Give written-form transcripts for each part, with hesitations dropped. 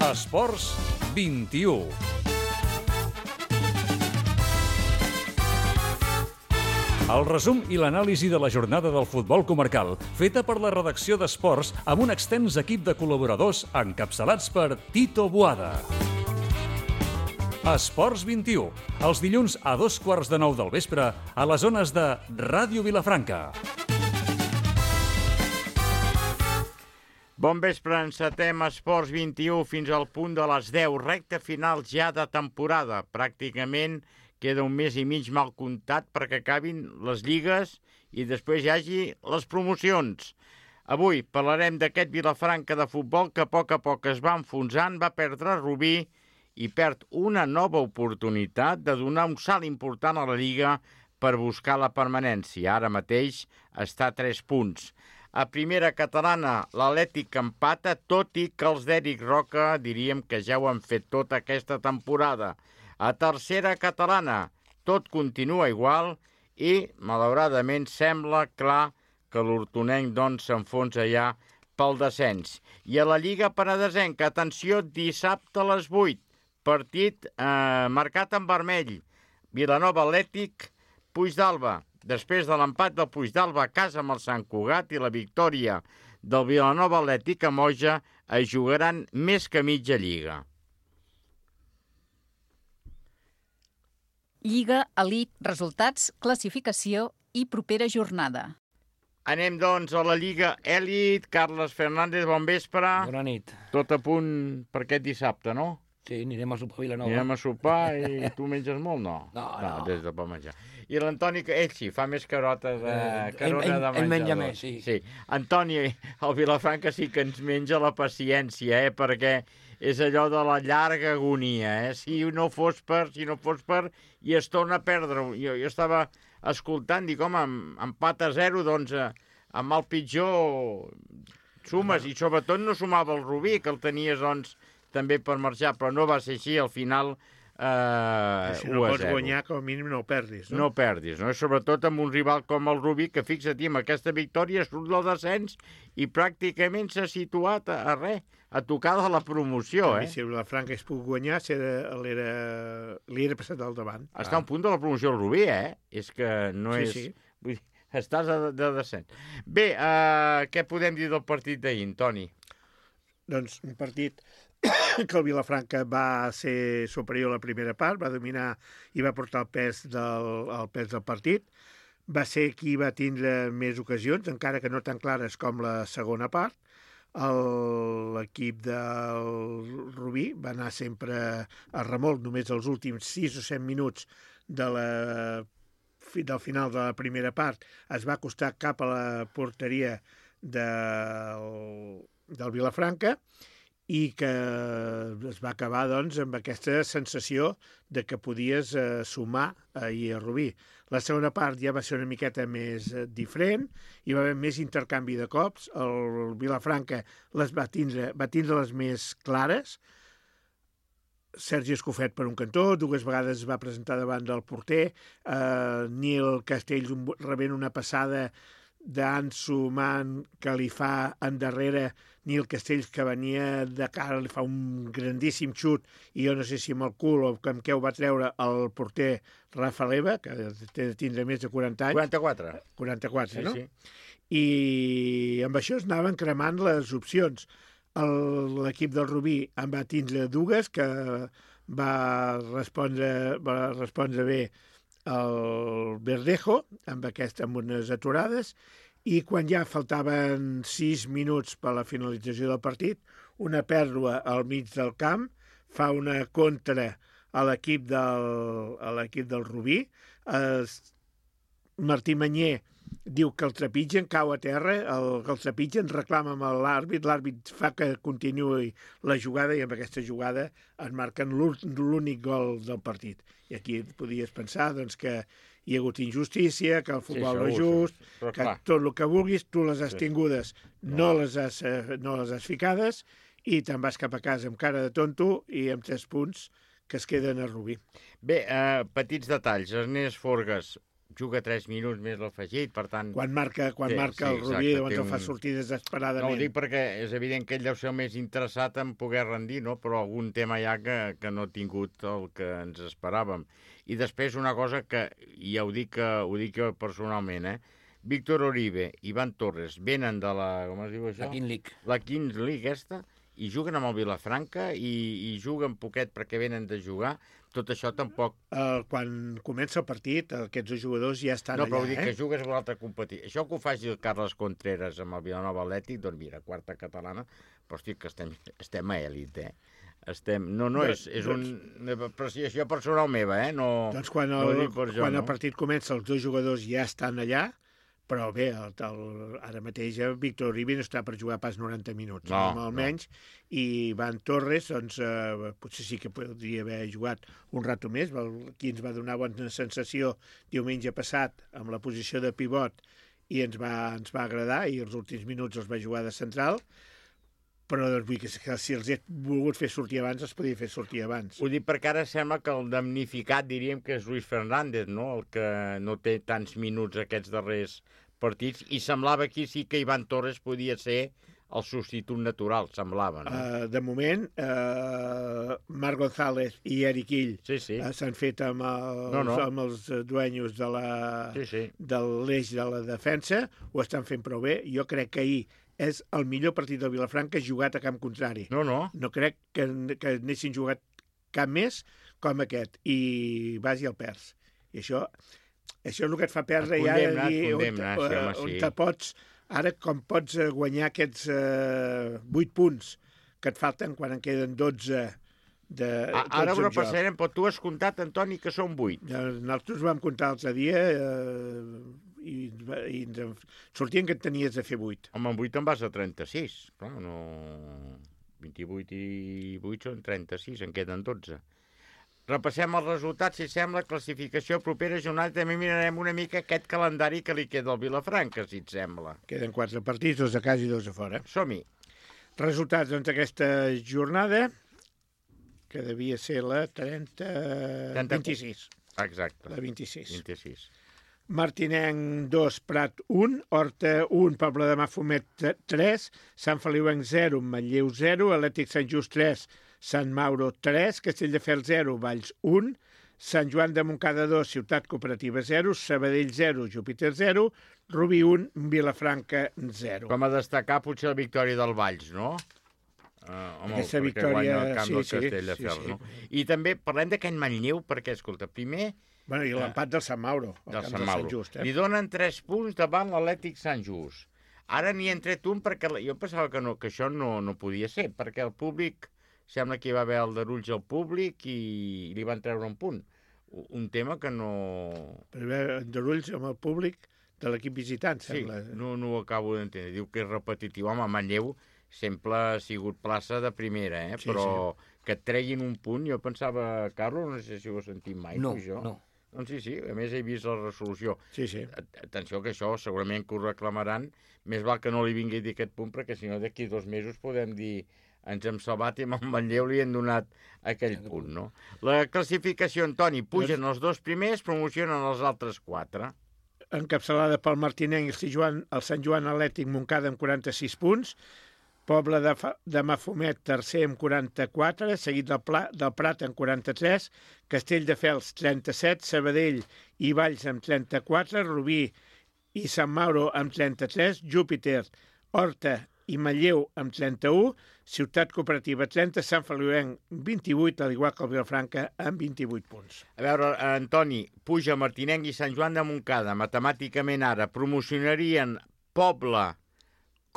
Esports 21. El resum i l'anàlisi de la jornada del futbol comarcal, feta per la redacció d'Esports amb un extens equip de col·laboradors encapçalats per Tito Boada. Esports 21, els dilluns a 8:15 del vespre a les zones de Ràdio Vilafranca. Bon vespre, encetem Esports 21 fins al punt de les 10, recta final ja de temporada. Pràcticament queda un mes i mig mal comptat perquè acabin les lligues i després hi hagi les promocions. Avui parlarem d'aquest Vilafranca de futbol que a poc es va enfonsant, va perdre Rubí i perd una nova oportunitat de donar un salt important a la Lliga per buscar la permanència. Ara mateix està a 3 punts. A primera catalana, l'Atlètic empata, tot i que els d'Eric Roca diríem que ja ho han fet tota aquesta temporada. A tercera catalana, tot continua igual i, malauradament, sembla clar que l'hortonenc doncs s'enfonsa ja pel descens. I a la Lliga Penedesenca, atenció, dissabte a les 8, partit marcat en vermell. Vilanova Atlètic, Puigdàlber. Després de l'empat del Puigdàlber a casa amb el Sant Cugat i la victòria del Vilanova Atlètic a Moja, es jugaran més que mitja lliga. Lliga, elit, resultats, classificació i propera jornada. Anem, doncs, a la Lliga Elit. Carles Fernández, bon vespre. Bona nit. Tot a punt per aquest dissabte, no? Sí, anirem a sopar a Vilanova. Anirem a sopar i tu menges molt, no? No. Des de per menjar. I l'Antoni, ell sí, fa més carona de menjador. Ell menja més, sí. Antoni, el Vilafranca sí que ens menja la paciència, perquè és allò de la llarga agonia, Si no fos per, i es torna a perdre. Jo estava escoltant, dic, home, empat a 0, doncs, amb el pitjor sumes, i sobretot no sumava el Rubí, que el tenies, doncs, també per marxar, però no va ser així, al final 1-0. Si no pots guanyar, com a mínim no ho perdis, no? No perdis, no? Sobretot amb un rival com el Rubí, que fixa't, amb aquesta victòria surt del descens i pràcticament s'ha situat a tocar de la promoció, Si el Vilafranca es puc guanyar, li era passat al davant. Està a un punt de la promoció el Rubí, És que no és... Sí. Vull dir, estàs de descens. Bé, què podem dir del partit d'ahir, Toni? Doncs un partit que el Vilafranca va ser superior a la primera part, va dominar i va portar el pes del partit. Va ser qui va tindre més ocasions, encara que no tan clares com la segona part. L'equip del Rubí va anar sempre a remolc, només els últims 6 o 7 minuts del final de la primera part es va acostar cap a la porteria del Vilafranca i que es va acabar doncs, amb aquesta sensació de que podies sumar ahir a Rubí. La segona part ja va ser una miqueta més diferent, hi va haver més intercanvi de cops, el Vilafranca les va tindre les més clares, Sergi Escofet per un cantó, 2 vegades es va presentar davant del porter, Nil Castells rebent una passada d'Ansu Man que li fa endarrere Nil Castells, que venia de cara, li fa un grandíssim xut i jo no sé si amb el cul o amb què ho va treure el porter Rafa Leva, que té de tindre més de 40 anys. 44, no? Sí. I amb això es anaven cremant les opcions. L'equip del Rubí en va tindre 2, que va respondre bé el Verdejo, amb unes aturades, i quan ja faltaven 6 minuts per a la finalització del partit, una pèrdua al mig del camp, fa una contra a l'equip del Rubí. Martí Manyer diu que el trepitgen, cau a terra, que el trepitgen, reclama amb l'àrbit fa que continuï la jugada i amb aquesta jugada es marquen l'únic gol del partit. I aquí podies pensar doncs, que hi ha hagut injustícia, que el futbol no és just, que tot el que vulguis, tu les has tingudes, no les has ficades i te'n vas cap a casa amb cara de tonto i amb 3 punts que es queden a Rubí. Bé, petits detalls. Ernest Forgas, juga 3 minuts més l'afegit, per tant... Quan marca el Rubí, llavors el fa sortir desesperadament. No, ho dic perquè és evident que ell deu ser el més interessat en poder rendir, no? Però algun tema hi ha que no ha tingut el que ens esperàvem. I després una cosa que, ja ho dic jo personalment, Víctor Uribe i Iván Torres venen de la... com es diu això? La King League. La King League aquesta, i juguen amb el Vilafranca i juguen poquet perquè venen de jugar. Tot això tampoc... Quan comença el partit, aquests dos jugadors ja estan allà. No, però vull dir que jugues a l'altra competició. Això que ho faci el Carles Contreras amb el Vilanova Atlètic, doncs mira, quarta catalana, però hosti, que estem a èlit, és un... apreciació personal meva, no... Doncs quan el partit comença, els dos jugadors ja estan allà, però bé, ara mateix Víctor Uribe no està per jugar pas 90 minuts, almenys, i Iván Torres, doncs, potser sí que podria haver jugat un rato més, qui ens va donar bona sensació diumenge passat amb la posició de pivot i ens va agradar, i els últims minuts els va jugar de central, però doncs, vull que si els he volgut fer sortir abans, els podia fer sortir abans. Ho dic perquè ara sembla que el damnificat, diríem que és Luis Fernández, no? El que no té tants minuts aquests darrers partits, i semblava aquí sí que Iván Torres podia ser el substitut natural, semblava, no? De moment, Marc González i Eric Ill s'han fet amb els dueños de l'eix de la defensa, ho estan fent prou bé. Jo crec que ahir és el millor partit del Vilafranca jugat a camp contrari. No crec que n'haguessin jugat cap més com aquest, i vas i el perds. I això és el que et fa perdre ja on te pots, ara com pots guanyar aquests 8 punts que et falten quan en queden 12 ara ho repassarem, però tu has comptat, Antoni, que són 8. Nosaltres vam comptar l'altre dia i ens sortien que et tenies de fer 8. Home, amb 8 en vas a 36. Clar, no... 28 i 8 són 36, en queden 12. Repassem els resultats, si sembla, classificació propera jornada. També mirarem una mica aquest calendari que li queda al Vilafranca, si et sembla. Queden 4 partits, 2 a casa i 2 a fora. Som-hi. Resultats d'aquesta jornada, que devia ser la 26. Exacte. La 26. 26. Martinenc 2, Prat 1, Horta 1, Pobla de Mafumet 3, Sant Feliuenc 0, Manlleu 0, Atlètic Sant Just 3, Sant Mauro 3, Castelldefels 0, Valls 1, Sant Joan de Montcada 2, Ciutat Cooperativa 0, Sabadell 0, Júpiter 0, Rubí 1, Vilafranca 0. Com a destacar potser la victòria del Valls, no? Aquesta victòria, sí. No? I també parlem d'aquest Manlleu, perquè, escolta, primer... Bueno, i l'empat del Sant Mauro, del Sant Just. Li donen 3 punts davant l'Atlètic Sant Just. Ara n'hi han tret un perquè jo pensava que això no podia ser, perquè el públic, sembla que hi va haver aldarulls al públic i li van treure un punt. Un tema que no... Per haver aldarulls amb el públic de l'equip visitant, sembla. Sí, no ho acabo d'entendre. Diu que és repetitiu. Home, Manlleu sempre ha sigut plaça de primera, però que et treguin un punt, jo pensava, Carlos, no sé si ho has sentit mai, això. No. Doncs sí, a més he vist la resolució. Sí. Atenció que això segurament que ho reclamaran, més val que no li vingui a dir aquest punt, perquè si no d'aquí 2 mesos podem dir ens hem salvat i amb el Manlleu li han donat aquell punt, no? La classificació, Antoni, pugen els 2 primers, promocionen els altres 4. Encapçalada pel Martinenc i el Sant Joan Atlètic Montcada amb 46 punts, Pobla de Mafumet, tercer amb 44, seguit del Prat amb 43, Castelldefels 37, Sabadell i Valls amb 34, Rubí i Sant Mauro amb 33, Júpiter, Horta i Manlleu amb 31, Ciutat Cooperativa 30, Sant Feliuenc 28, al igual que el Vilafranca, amb 28 punts. A veure, Antoni, puja Martinenc i Sant Joan de Montcada. Matemàticament ara promocionarien Pobla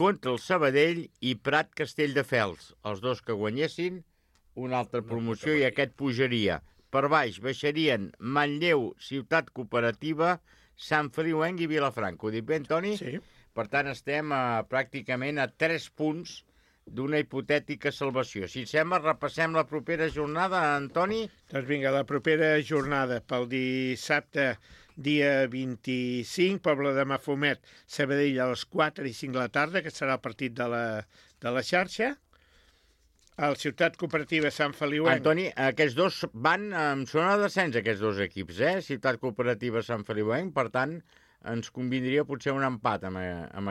contra el Sabadell i Prat Castelldefels. Els 2 que guanyessin, una altra promoció i aquest pujaria. Per baix baixarien Manlleu, Ciutat Cooperativa, Sant Feliuenc i Vilafranca. Ho dic bé, Antoni? Sí. Per tant, estem pràcticament a 3 punts d'una hipotètica salvació. Si et sembla, repassem la propera jornada, Antoni? Doncs vinga, la propera jornada pel dissabte, dia 25, Pobla de Mafumet, Sabadell a les 4 i 5 de la tarda, que serà el partit de la xarxa. El Ciutat Cooperativa Sant Feliuenc. Antoni, aquests dos van en zona de descens, aquests dos equips, Ciutat Cooperativa Sant Feliuenc, per tant, ens convindria potser un empat en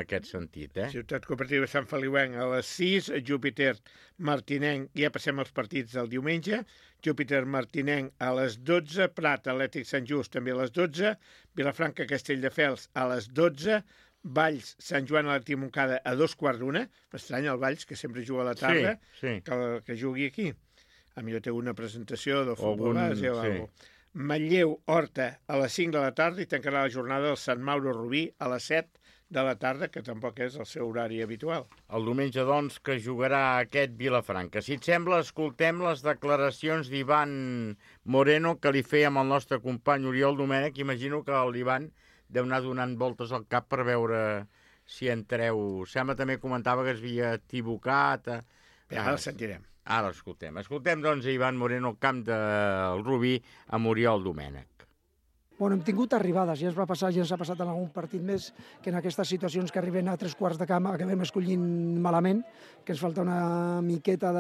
aquest sentit, Ciutat Cooperativa Sant Feliuenc a les 6, Júpiter Martinenc, ja passem als partits del diumenge, Júpiter Martinenc a les 12, Prat Atlètic Sant Just també a les 12, Vilafranca Castelldefels a les 12, Valls Sant Joan Atlètic Montcada a 2:15, m'estranya el Valls, que sempre juga a la tarda, sí. que jugui aquí. A millor té una presentació del futbol base o alguna cosa. Manlleu, Horta, a les 5 de la tarda i tancarà la jornada del Sant Mauro Rubí a les 7 de la tarda, que tampoc és el seu horari habitual. El diumenge, doncs, que jugarà aquest Vilafranca. Si et sembla, escoltem les declaracions d'Ivan Moreno que li feia amb el nostre company Oriol Domènech. Imagino que l'Ivan deu anar donant voltes al cap per veure si entreu. Sembla també comentava que es havia equivocat. Ara el sentirem. Ara l'escoltem. Escoltem, doncs, Ivan Moreno al camp del Rubí amb Oriol Domènech. Bueno, hem tingut arribades, ja ens ha passat en algun partit més, que en aquestes situacions que arriben a 3/4 de camp acabem escollint malament, que ens falta una miqueta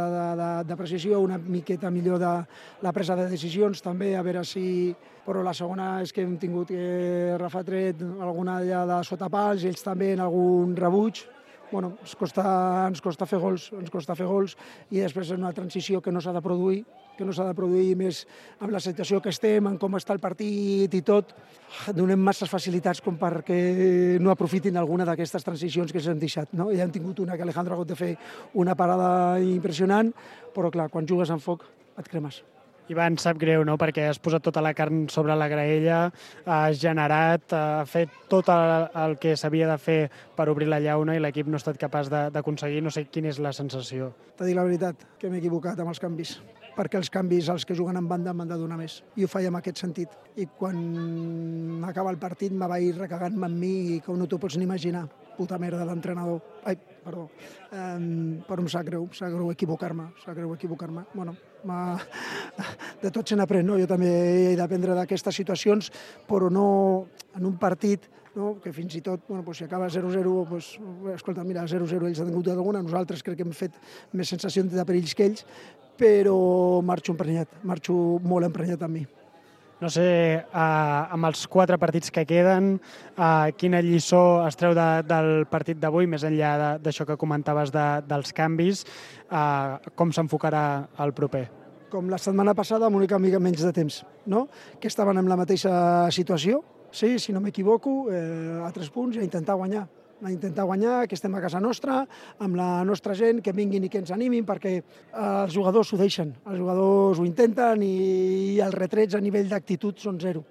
de precisió, una miqueta millor de la presa de decisions, també, a veure si... Però la segona és que hem tingut que Rafa tret alguna de sota pals, ells també en algun rebuig. Bueno, ens costa fer gols i després és una transició que no s'ha de produir, més amb la situació que estem, en com està el partit i tot. Donem masses facilitats com perquè no aprofitin alguna d'aquestes transicions que s'han deixat. No? Ja hem tingut una que Alejandro ha hagut de fer una parada impressionant, però clar, quan jugues amb foc et cremes. Ivan, sap greu, no?, perquè has posat tota la carn sobre la graella, has generat, has fet tot el que s'havia de fer per obrir la llauna i l'equip no ha estat capaç d'aconseguir. No sé quina és la sensació. T'he dit la veritat, que m'he equivocat amb els canvis, perquè els canvis, els que juguen en banda, m'han de donar més. I ho faig en aquest sentit. I quan acaba el partit me vaig recagant-me amb mi i que no t'ho pots ni imaginar. Puta merda d'entrenador. Ai, perdó. Però em sap greu equivocar-me. Bueno, de tot se n'aprèn, no? Jo també he d'aprendre d'aquestes situacions, però no en un partit, no? Que fins i tot, bueno, si acaba 0-0, escolta, mira, 0-0 ells han tingut alguna, nosaltres crec que hem fet més sensació de perills que ells, però marxo molt emprenyat amb mi. No sé, amb els 4 partits que queden, quina lliçó es treu del partit d'avui, més enllà d'això que comentaves dels canvis, com s'enfocarà el proper? Com la setmana passada, amb una mica menys de temps, no? Que estaven en la mateixa situació, sí, si no m'equivoco, a 3 punts i a intentar guanyar, que estem a casa nostra, amb la nostra gent, que vinguin i que ens animin, perquè els jugadors ho deixen, els jugadors ho intenten i els retrets a nivell d'actitud són zero.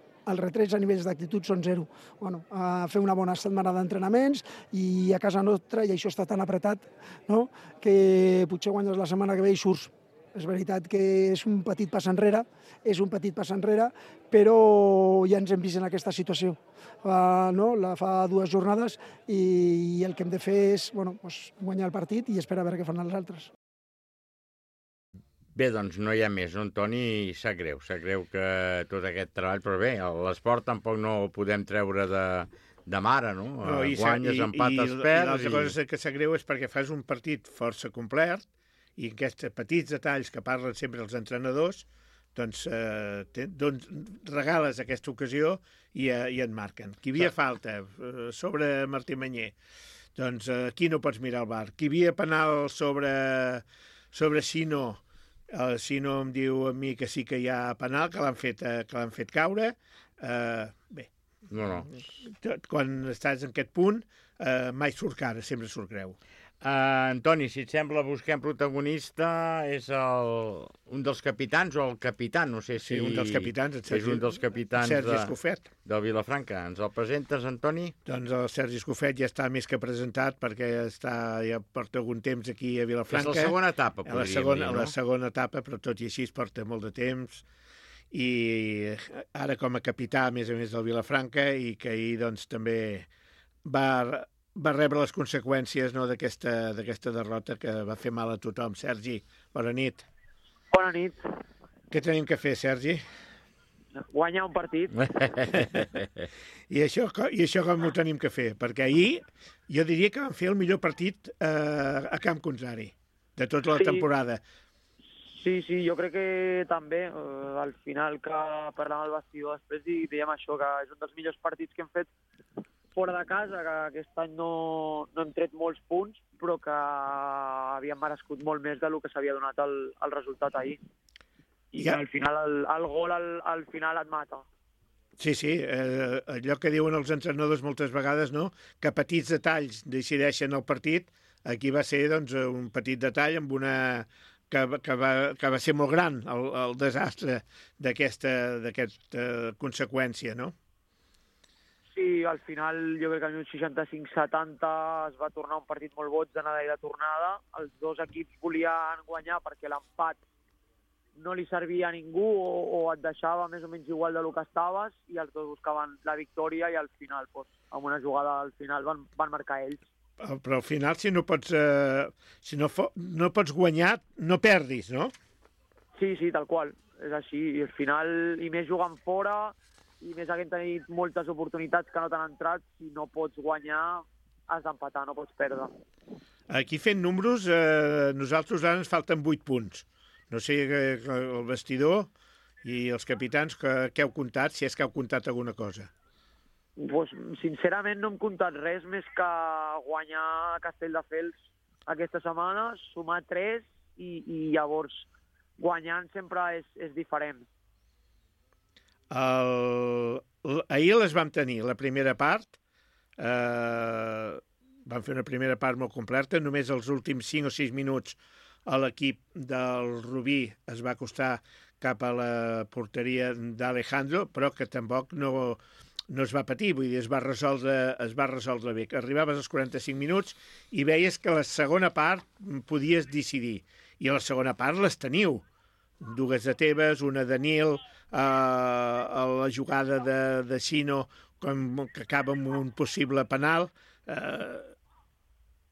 Bueno, a fer una bona setmana d'entrenaments i a casa nostra, i això està tan apretat, no? Que potser guanyes la setmana que ve i surts. És veritat que és un petit pas enrere, però ja ens hem vist en aquesta situació. Fa 2 jornades i el que hem de fer és guanyar el partit i esperar a veure què fan els altres. Bé, doncs no hi ha més, no, Antoni? Sap greu que tot aquest treball, però bé, l'esport tampoc no ho podem treure de mare, no? Guanyes, empates, perds... I l'altra cosa que sap greu és perquè fas un partit força complet i aquests petits detalls que parlen sempre els entrenadors, doncs regales aquesta ocasió i et marquen. Qui havia falta sobre Martí Manyer, doncs aquí no pots mirar el VAR. Qui havia penal sobre Sino, Sino em diu a mi que sí que hi ha penal, que l'han fet caure. Bé, no. Quan estàs en aquest punt, mai surt cara, sempre surt greu. Antoni, si et sembla, busquem protagonista, és un dels capitans o el capità, no sé si... Sí, un dels capitans, és un dels capitans Sergi Escofet. Del Vilafranca. Ens el presentes, Antoni? Doncs el Sergi Escofet ja està més que presentat perquè ja porta algun temps aquí a Vilafranca. És la segona etapa, podríem dir, no? La segona etapa, però tot i així es porta molt de temps. I ara com a capità, a més del Vilafranca, i que ahir doncs també va rebre les conseqüències d'aquesta derrota que va fer mal a tothom. Sergi, bona nit. Bona nit. Què tenim que fer, Sergi? Guanyar un partit. I això com ho tenim que fer? Perquè ahir jo diria que vam fer el millor partit a camp contrari de tota la temporada. Sí, jo crec que també, al final que parlàvem al vestidor després i dèiem això, que és un dels millors partits que hem fet fora de casa, que aquest any no hem tret molts punts, però que havíem merescut molt més del que s'havia donat el resultat ahir. I al final el gol al final et mata. Sí, allò que diuen els entrenadors moltes vegades, no? Que petits detalls decideixen el partit. Aquí va ser doncs, un petit detall amb una... que va ser molt gran el desastre d'aquesta conseqüència, no? Sí, al final jo crec que al minut 65-70 es va tornar un partit molt boig d'anada i de tornada. Els dos equips volien guanyar perquè l'empat no li servia a ningú o et deixava més o menys igual del que estaves i els dos buscaven la victòria i al final, amb una jugada al final, van marcar ells. Però al final, si no pots guanyar, no perdis, no? Sí, tal qual. És així. I al final, i més jugant fora, i més havent tenit moltes oportunitats que no t'han entrat, si no pots guanyar, has d'empatar, no pots perdre. Aquí fent números, nosaltres ara ens falten 8 punts. No sé, el vestidor i els capitans, què heu comptat, si és que heu comptat alguna cosa? Pues, sincerament no hem comptat res més que guanyar a Castelldefels aquesta setmana, sumar 3 i llavors guanyant sempre és diferent. Ahir les vam tenir, la primera part. Vam fer una primera part molt completa, només els últims 5 o 6 minuts a l'equip del Rubí es va acostar cap a la porteria d'Alejandro, però que tampoc no es va patir, vull dir, es va resoldre bé. Arribaves als 45 minuts i veies que la segona part podies decidir. I a la segona part les teniu. 2 de Tebas, una de Nil, a la jugada de Sino, que acaba amb un possible penal,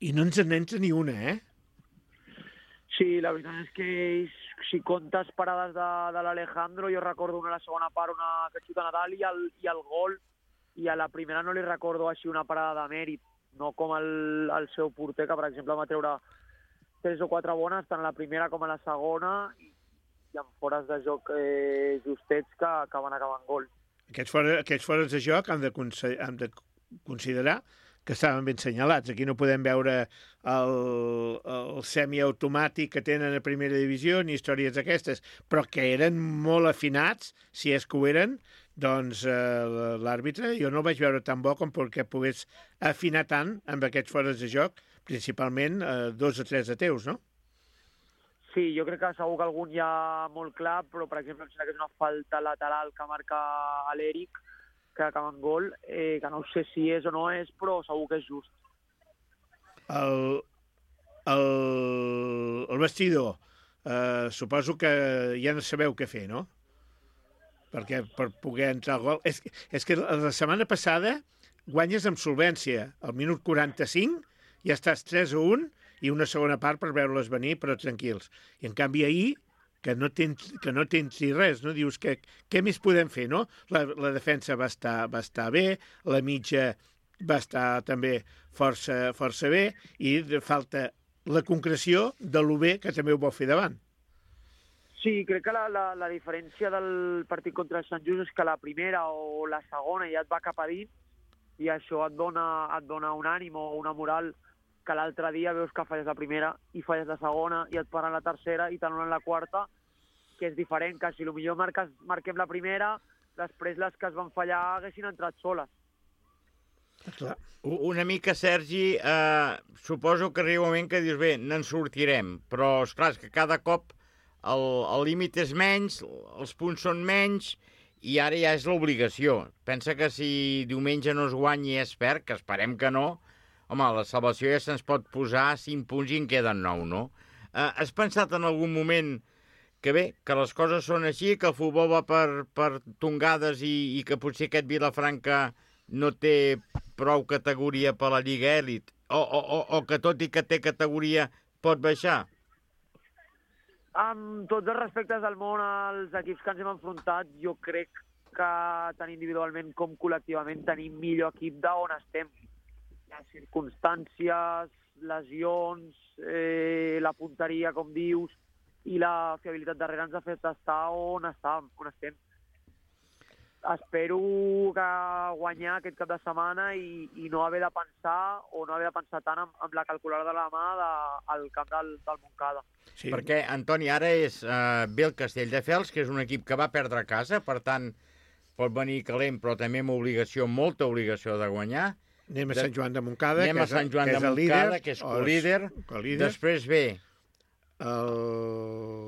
i no ens en entra ni una, eh? Sí, la veritat és que si comptes parades de l'Alejandro, jo recordo una a la segona part, una que xuta Nadal i el gol, i a la primera no li recordo així una parada de mèrit, no com el seu porter, que per exemple va treure 3 o 4 bones, tant a la primera com a la segona, i amb fores de joc justets que van acabar en gol. Aquests fores de joc han de considerar que estaven ben senyalats. Aquí no podem veure el semiautomàtic que tenen a primera divisió ni històries d'aquestes, però que eren molt afinats, si és que ho eren, doncs l'àrbitre jo no el vaig veure tan bo com perquè pogués afinar tant amb aquests fores de joc, principalment 2 o 3 de teus, no? Sí, jo crec que segur que algun hi ha molt clar, però per exemple em sembla que és una falta lateral que marca l'Eric, que acaba en gol, que no sé si és o no és, però segur que és just. El vestidor, suposo que ja no sabeu què fer, no? Perquè per poder entrar al gol... És que la setmana passada guanyes amb solvència. Al minut 45 ja estàs 3-1 i una segona part per veure-les venir, però tranquils. I en canvi ahir, que no tens ni res, no? Dius que què més podem fer, no? La defensa va estar bé, la mitja va estar també força bé i falta la concreció de lo bé que també ho vol fer davant. Sí, crec que la diferència del partit contra el Sant Just és que la primera o la segona ja et va cap a dins i això et dona un ànim o una moral que l'altre dia veus que falles la primera i falles la segona i et paren la tercera i t'anulen la quarta, que és diferent, que si potser marquem la primera, després les que es van fallar haguessin entrat soles. Clar. Una mica, Sergi, suposo que arriba un moment que dius, bé, n'en sortirem, però, esclar, és que cada cop el límit és menys, els punts són menys, i ara ja és l'obligació. Pensa que si diumenge no es guanyi i es perd, que esperem que no, home, la salvació ja se'ns pot posar 5 punts i en queden 9, no? Has pensat en algun moment que bé, que les coses són així, que el futbol va per tongades i que potser aquest Vilafranca no té prou categoria per la Lliga Èlit, o que tot i que té categoria pot baixar? Amb tots els respectes del món als equips que ens hem enfrontat, jo crec que tant individualment com col·lectivament tenim millor equip d'on estem. Hi ha circumstàncies, lesions, la punteria, com dius, i la fiabilitat darrere ens ha fet estar on estem. Espero que guanyar aquest cap de setmana i no haver de pensar o no haver de pensar tant amb la calculadora de la mà al camp del Montcada. Sí. Perquè, Antoni, ara ve el Castelldefels, que és un equip que va perdre a casa, per tant, pot venir calent, però també amb molta obligació de guanyar. Anem a Sant Joan de Montcada, que és co-líder. Després ve el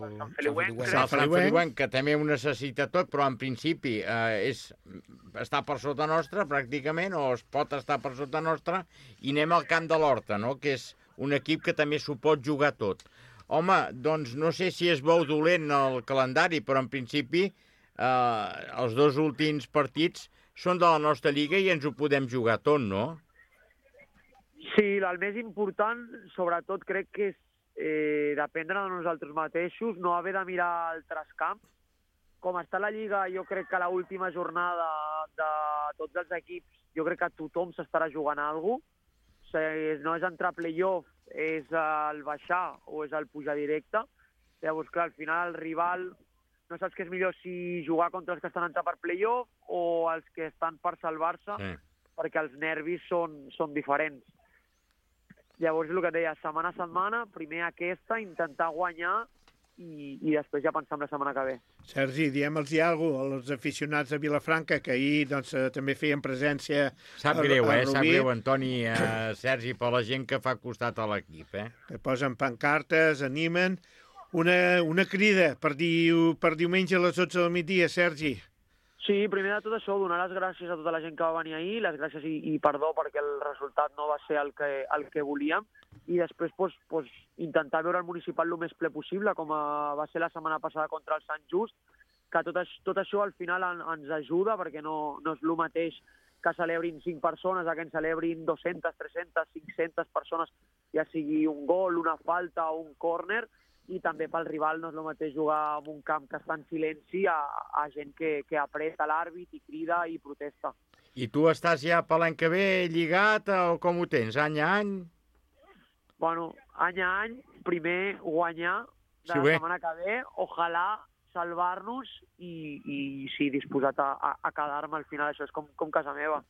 Sant Feliuenc, que també ho necessita tot, però en principi està per sota nostra, pràcticament, o es pot estar per sota nostra, i anem al Camp de l'Horta, no?, que és un equip que també s'ho pot jugar tot. Home, doncs no sé si es veu dolent el calendari, però en principi els 2 últims partits són de la nostra lliga i ens ho podem jugar tot, no? Sí, el més important, sobretot, crec que és dependre de nosaltres mateixos, no haver de mirar altres camps. Com està la Lliga, jo crec que a l'última jornada de tots els equips, jo crec que tothom s'estarà jugant alguna cosa. O sigui, no és entrar a play-off, és el baixar o és el pujar directe. Llavors, clar, al final el rival no saps què és millor, si jugar contra els que estan entrant per play-off o els que estan per salvar-se, perquè els nervis són diferents. Llavors, el que et deia, setmana a setmana, primer aquesta, intentar guanyar i després ja pensar en la setmana que ve. Sergi, diem-los alguna cosa als aficionats de Vilafranca, que ahir doncs, també feien presència Sap greu, Antoni, Sergi, per la gent que fa costat a l'equip. Que posen pancartes, animen. Una crida per diumenge a les 12 del migdia, Sergi. Sí, primer de tot això, donar les gràcies a tota la gent que va venir ahir, les gràcies i perdó perquè el resultat no va ser el que volíem, i després intentar veure el municipal el més ple possible, com va ser la setmana passada contra el Sant Just, que tot això al final ens ajuda, perquè no és el mateix que celebrin 5 persones, que en celebrin 200, 300, 500 persones, ja sigui un gol, una falta o un córner, i també pel rival no és el mateix jugar en un camp que està en silenci a gent que apreta l'àrbit i crida i protesta. I tu estàs ja per l'any que ve lligat o com ho tens, any a any? Bueno, any a any, primer guanyar de la setmana que ve, ojalà salvar-nos i sí, disposat a quedar-me al final, això és com casa meva.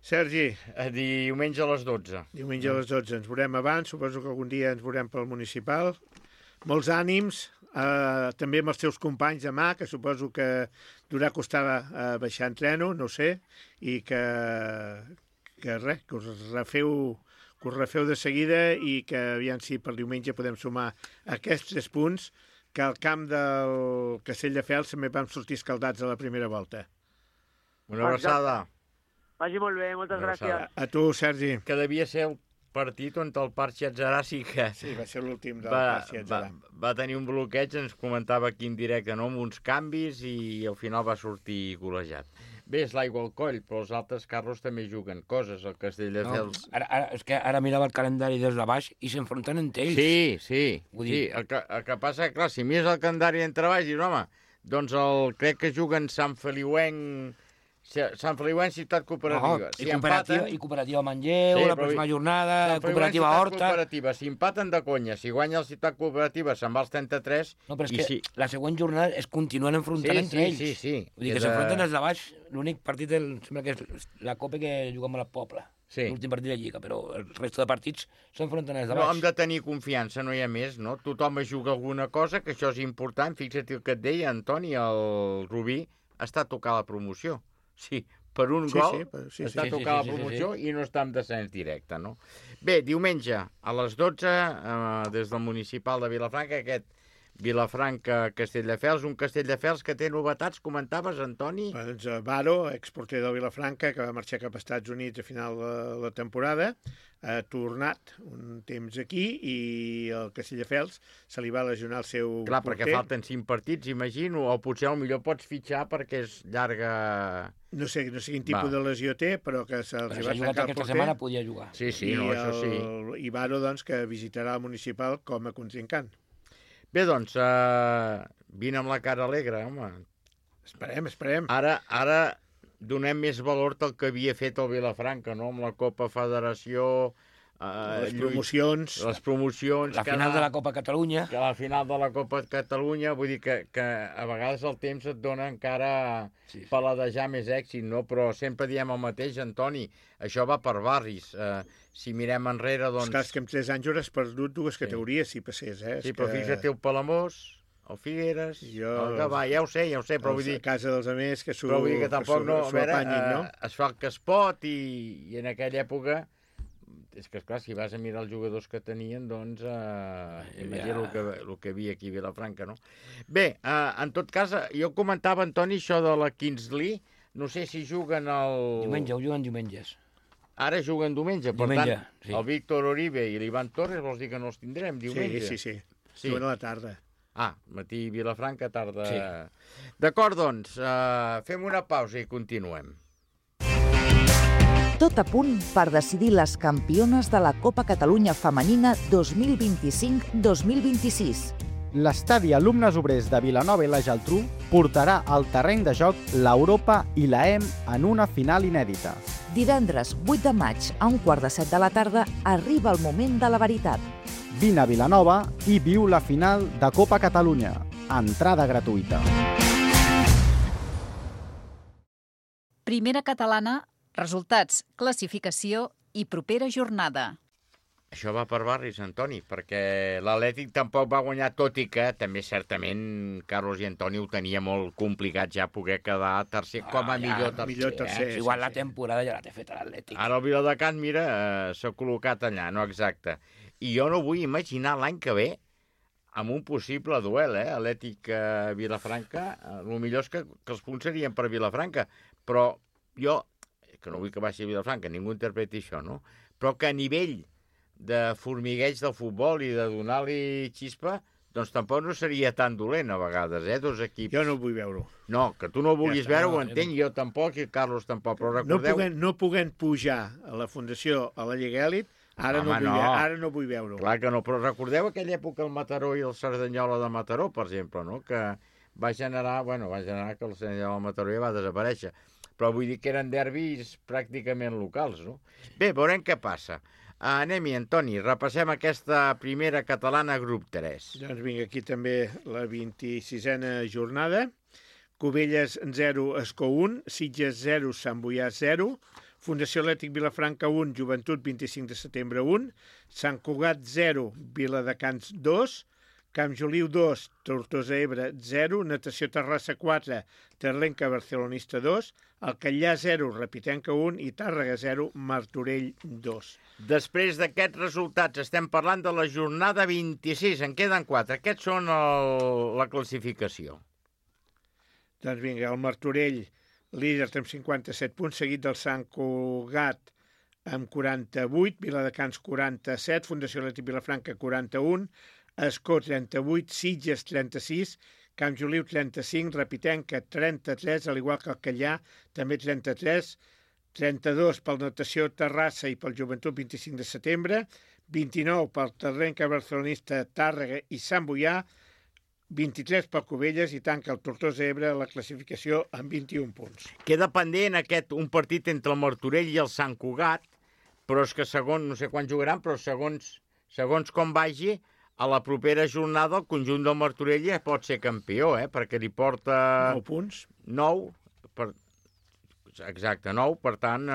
Sergi. Diumenge a les 12. Diumenge a les 12. Ens veurem abans, suposo que algun dia ens veurem pel municipal. Molts ànims, també amb els teus companys demà, que suposo que durà costar baixar en treno, no sé, i que us refeu de seguida i que aviam si per diumenge podem sumar aquests 3 punts, que al camp del Castelldefels també vam sortir escaldats a la primera volta. Una abraçada. Vagi molt bé, moltes gràcies. A tu, Sergi. Que devia ser el partit on el Parc Xiatzarà sí, va ser l'últim del Parc Xiatzarà. Va tenir un bloqueig, ens comentava aquí en directe, no? Amb uns canvis i al final va sortir golejat. Bé, és l'aigua al coll, però els altres carros també juguen coses, el Castelldefels. No, és que ara mirava el calendari des de baix i s'enfronten entre ells. Sí. El que passa, clar, si mires el calendari entre baix, dius, home, doncs crec que juguen Sant Feliuenc, Ciutat Cooperativa. I Cooperativa Manlleu, la pròxima jornada, Cooperativa Horta. Si empaten de conya, si guanya el Ciutat Cooperativa se'n va als 33. No, però és que la següent jornada es continuen enfrontant entre ells. Sí. Vull dir que s'enfronten els de baix, l'únic partit sembla que és la Copa que juguem al poble. L'últim partit de Lliga, però el resto de partits s'enfronten els de baix. No, hem de tenir confiança, no hi ha més, no? Tothom es juga alguna cosa, que això és important. Fixa't el que et deia, Antoni, el Rubí està a tocar la promoció. Sí, per un gol està tocant la promoció i no està en descens directe, no? Bé, diumenge a les 12, des del municipal de Vilafranca, aquest Vilafranca-Castelldefels, un Castelldefels que té novetats, comentaves, Antoni? Doncs Varo, exporter del Vilafranca, que va marxar cap als Estats Units a final de la temporada, ha tornat un temps aquí i el Castelldefels se li va lesionar el seu porter. Clar, perquè falten 5 partits, imagino, o potser millor pots fitxar perquè és llarga... No sé quin tipus de lesió té, però que se'ls va trencar el porter. Aquesta setmana podia jugar. Sí, no, això sí. I Varo, doncs, que visitarà el municipal com a contrincant. Bé, doncs, vine amb la cara alegre, home. Esperem. Ara donem més valor del que havia fet el Vilafranca, no? Amb la Copa Federació, les promocions. Les promocions. La final de la Copa Catalunya. Que la final de la Copa Catalunya, vull dir que a vegades el temps et dona encara paladejar més èxit, no? Però sempre diem el mateix, Antoni, això va per barris. Si mirem enrere, doncs... És que en 3 anys hauràs perdut 2 categories, si passés, eh? Sí, però fixa't el Palamós, el Figueres, el Gavà, ja ho sé, però vull dir... A casa dels amics que s'ho apanyin, no? Es fa el que es pot i en aquella època... És que, esclar, si vas a mirar els jugadors que tenien, doncs, imagina el que havia aquí a Vilafranca, no? Bé, en tot cas, jo comentava, Antoni, això de la Kingsley, no sé si juguen el... Diumenge, juguen diumenges. Ara juguen diumenge, per tant, el Víctor Oribe i l'Ivan Torres, vols dir que no els tindrem diumenge? Sí. Juguen a la tarda. Matí Vilafranca, tarda... Sí. D'acord, doncs, fem una pausa i continuem. Tot a punt per decidir les campiones de la Copa Catalunya Femenina 2025-2026. L'estadi Alumnes Obrers de Vilanova i la Geltrú portarà al terreny de joc l'Europa i la EM en una final inèdita. Divendres 8 de maig a 1:15 de la tarda arriba el moment de la veritat. Vine a Vilanova i viu la final de Copa Catalunya. Entrada gratuïta. Primera catalana, resultats, classificació i propera jornada. Això va per barris, Antoni, perquè l'Atlètic tampoc va guanyar, tot i que també certament Carlos i Antoni ho tenia molt complicat ja poder quedar tercer com a millor tercer. Igual la temporada ja la té feta l'Atlètic. Ara el Viladecans, mira, s'ha col·locat allà, no exacte. I jo no vull imaginar l'any que ve amb un possible duel, Atlètic-Vilafranca. El millor és que els punts serien per Vilafranca, però jo, que no vull que baixi a Vilafranca, ningú interpreti això, no? Però que a nivell de formigueig del futbol i de donar-li xispa, doncs tampoc no seria tan dolent a vegades, dos equips. Jo no ho vull veure. No, que tu no ho vulguis veure, ho entenc, jo tampoc i Carlos tampoc, però recordeu... No puguem pujar a la Fundació a la Lliga Èlit, ara no vull veure-ho. Clar que no, però recordeu aquella època el Mataró i el Cerdanyola de Mataró, per exemple, no? Que va generar que el Cerdanyola de Mataró ja va desaparèixer. Però vull dir que eren derbis pràcticament locals, no? Bé, veurem què passa. Anem-hi, Antoni, repassem aquesta primera catalana grup 3. Doncs vinga, aquí també la 26a jornada. Cubelles 0, Escó 1, Sitges 0, Sant Boià 0, Fundació Atlètic Vilafranca 1, Joventut 25 de setembre 1, Sant Cugat 0, Viladecans 2, Camp Joliu 2, Tortosa Ebre 0, Natació Terrassa 4, Terlenca Barcelonista 2, Alcallà 0, Repitenca 1 i Tàrrega 0, Martorell 2. Després d'aquests resultats estem parlant de la jornada 26, en queden 4. Aquests són la classificació. Doncs vinga, el Martorell, líder amb 57 punts, seguit del Sant Cugat amb 48, Viladecans 47, Fundació Atlètic Vilafranca 41, Escó 38, Sitges 36, Camp Joliu 35, Repitenca 33, al igual que Alcallà, també 33, 32 pel Natació Terrassa i pel Joventut 25 de setembre, 29 pel Terlenca Barcelonista Tàrrega i Sant Boià, 23 pel Cubelles i tanca el Tortosa Ebre la classificació amb 21 punts. Queda pendent un partit entre el Martorell i el Sant Cugat, però és que segons, no sé quan jugaran, però segons com vagi, a la propera jornada el conjunt del Martorell ja pot ser campió, perquè li porta... 9 punts. 9, exacte, 9, per tant,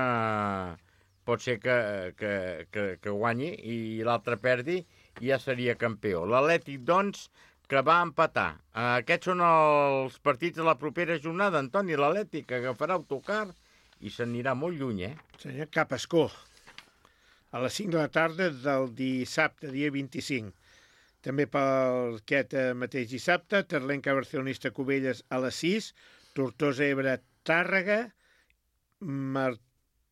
pot ser que guanyi i l'altre perdi i ja seria campió. L'Atlètic, doncs, que va empatar. Aquests són els partits de la propera jornada, Antoni. L'Atlètic agafarà autocar i s'anirà molt lluny, Senyor, cap a Escó. A les 5 de la tarda del dissabte, dia 25. També per aquest mateix dissabte, Terlenca Barcelonista Cubelles a les 6, Tortosa Ebre Tàrrega,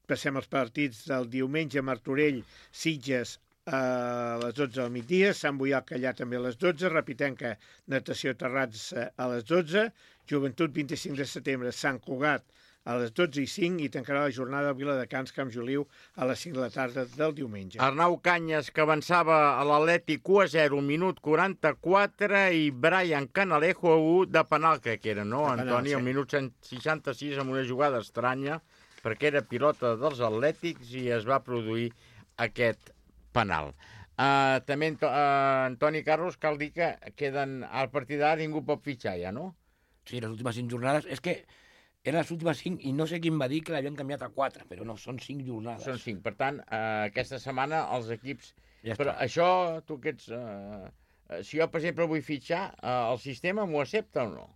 passem als partits del diumenge, Martorell Sitges a les 12 del migdia, Sant Boià Alcallà també a les 12, Repitenca Natació Terrassa a les 12, Joventut 25 de setembre, Sant Cugat a les 12:05 i tancarà la jornada a Viladecans, Camp Joliu a les 5 de la tarda del diumenge. Arnau Canyes, que avançava a l'Atlètic 1-0, minut 44, i Brian Canalejo 1 de penal, crec que era, no, Antoni? Al minut 66, amb una jugada estranya, perquè era pilota dels Atlètics i es va produir aquest penal. També, Antoni Carlos, cal dir que queden al partit d'ara ningú pot fitxar ja, no? Sí, les últimes 5 jornades. És que eren les últimes 5 i no sé quin va dir que l'havien canviat a 4, però no, són 5 jornades. Són 5. Per tant, aquesta setmana els equips... Ja però això, tu que ets... si jo, per exemple, vull fitxar, el sistema m'ho accepta o no?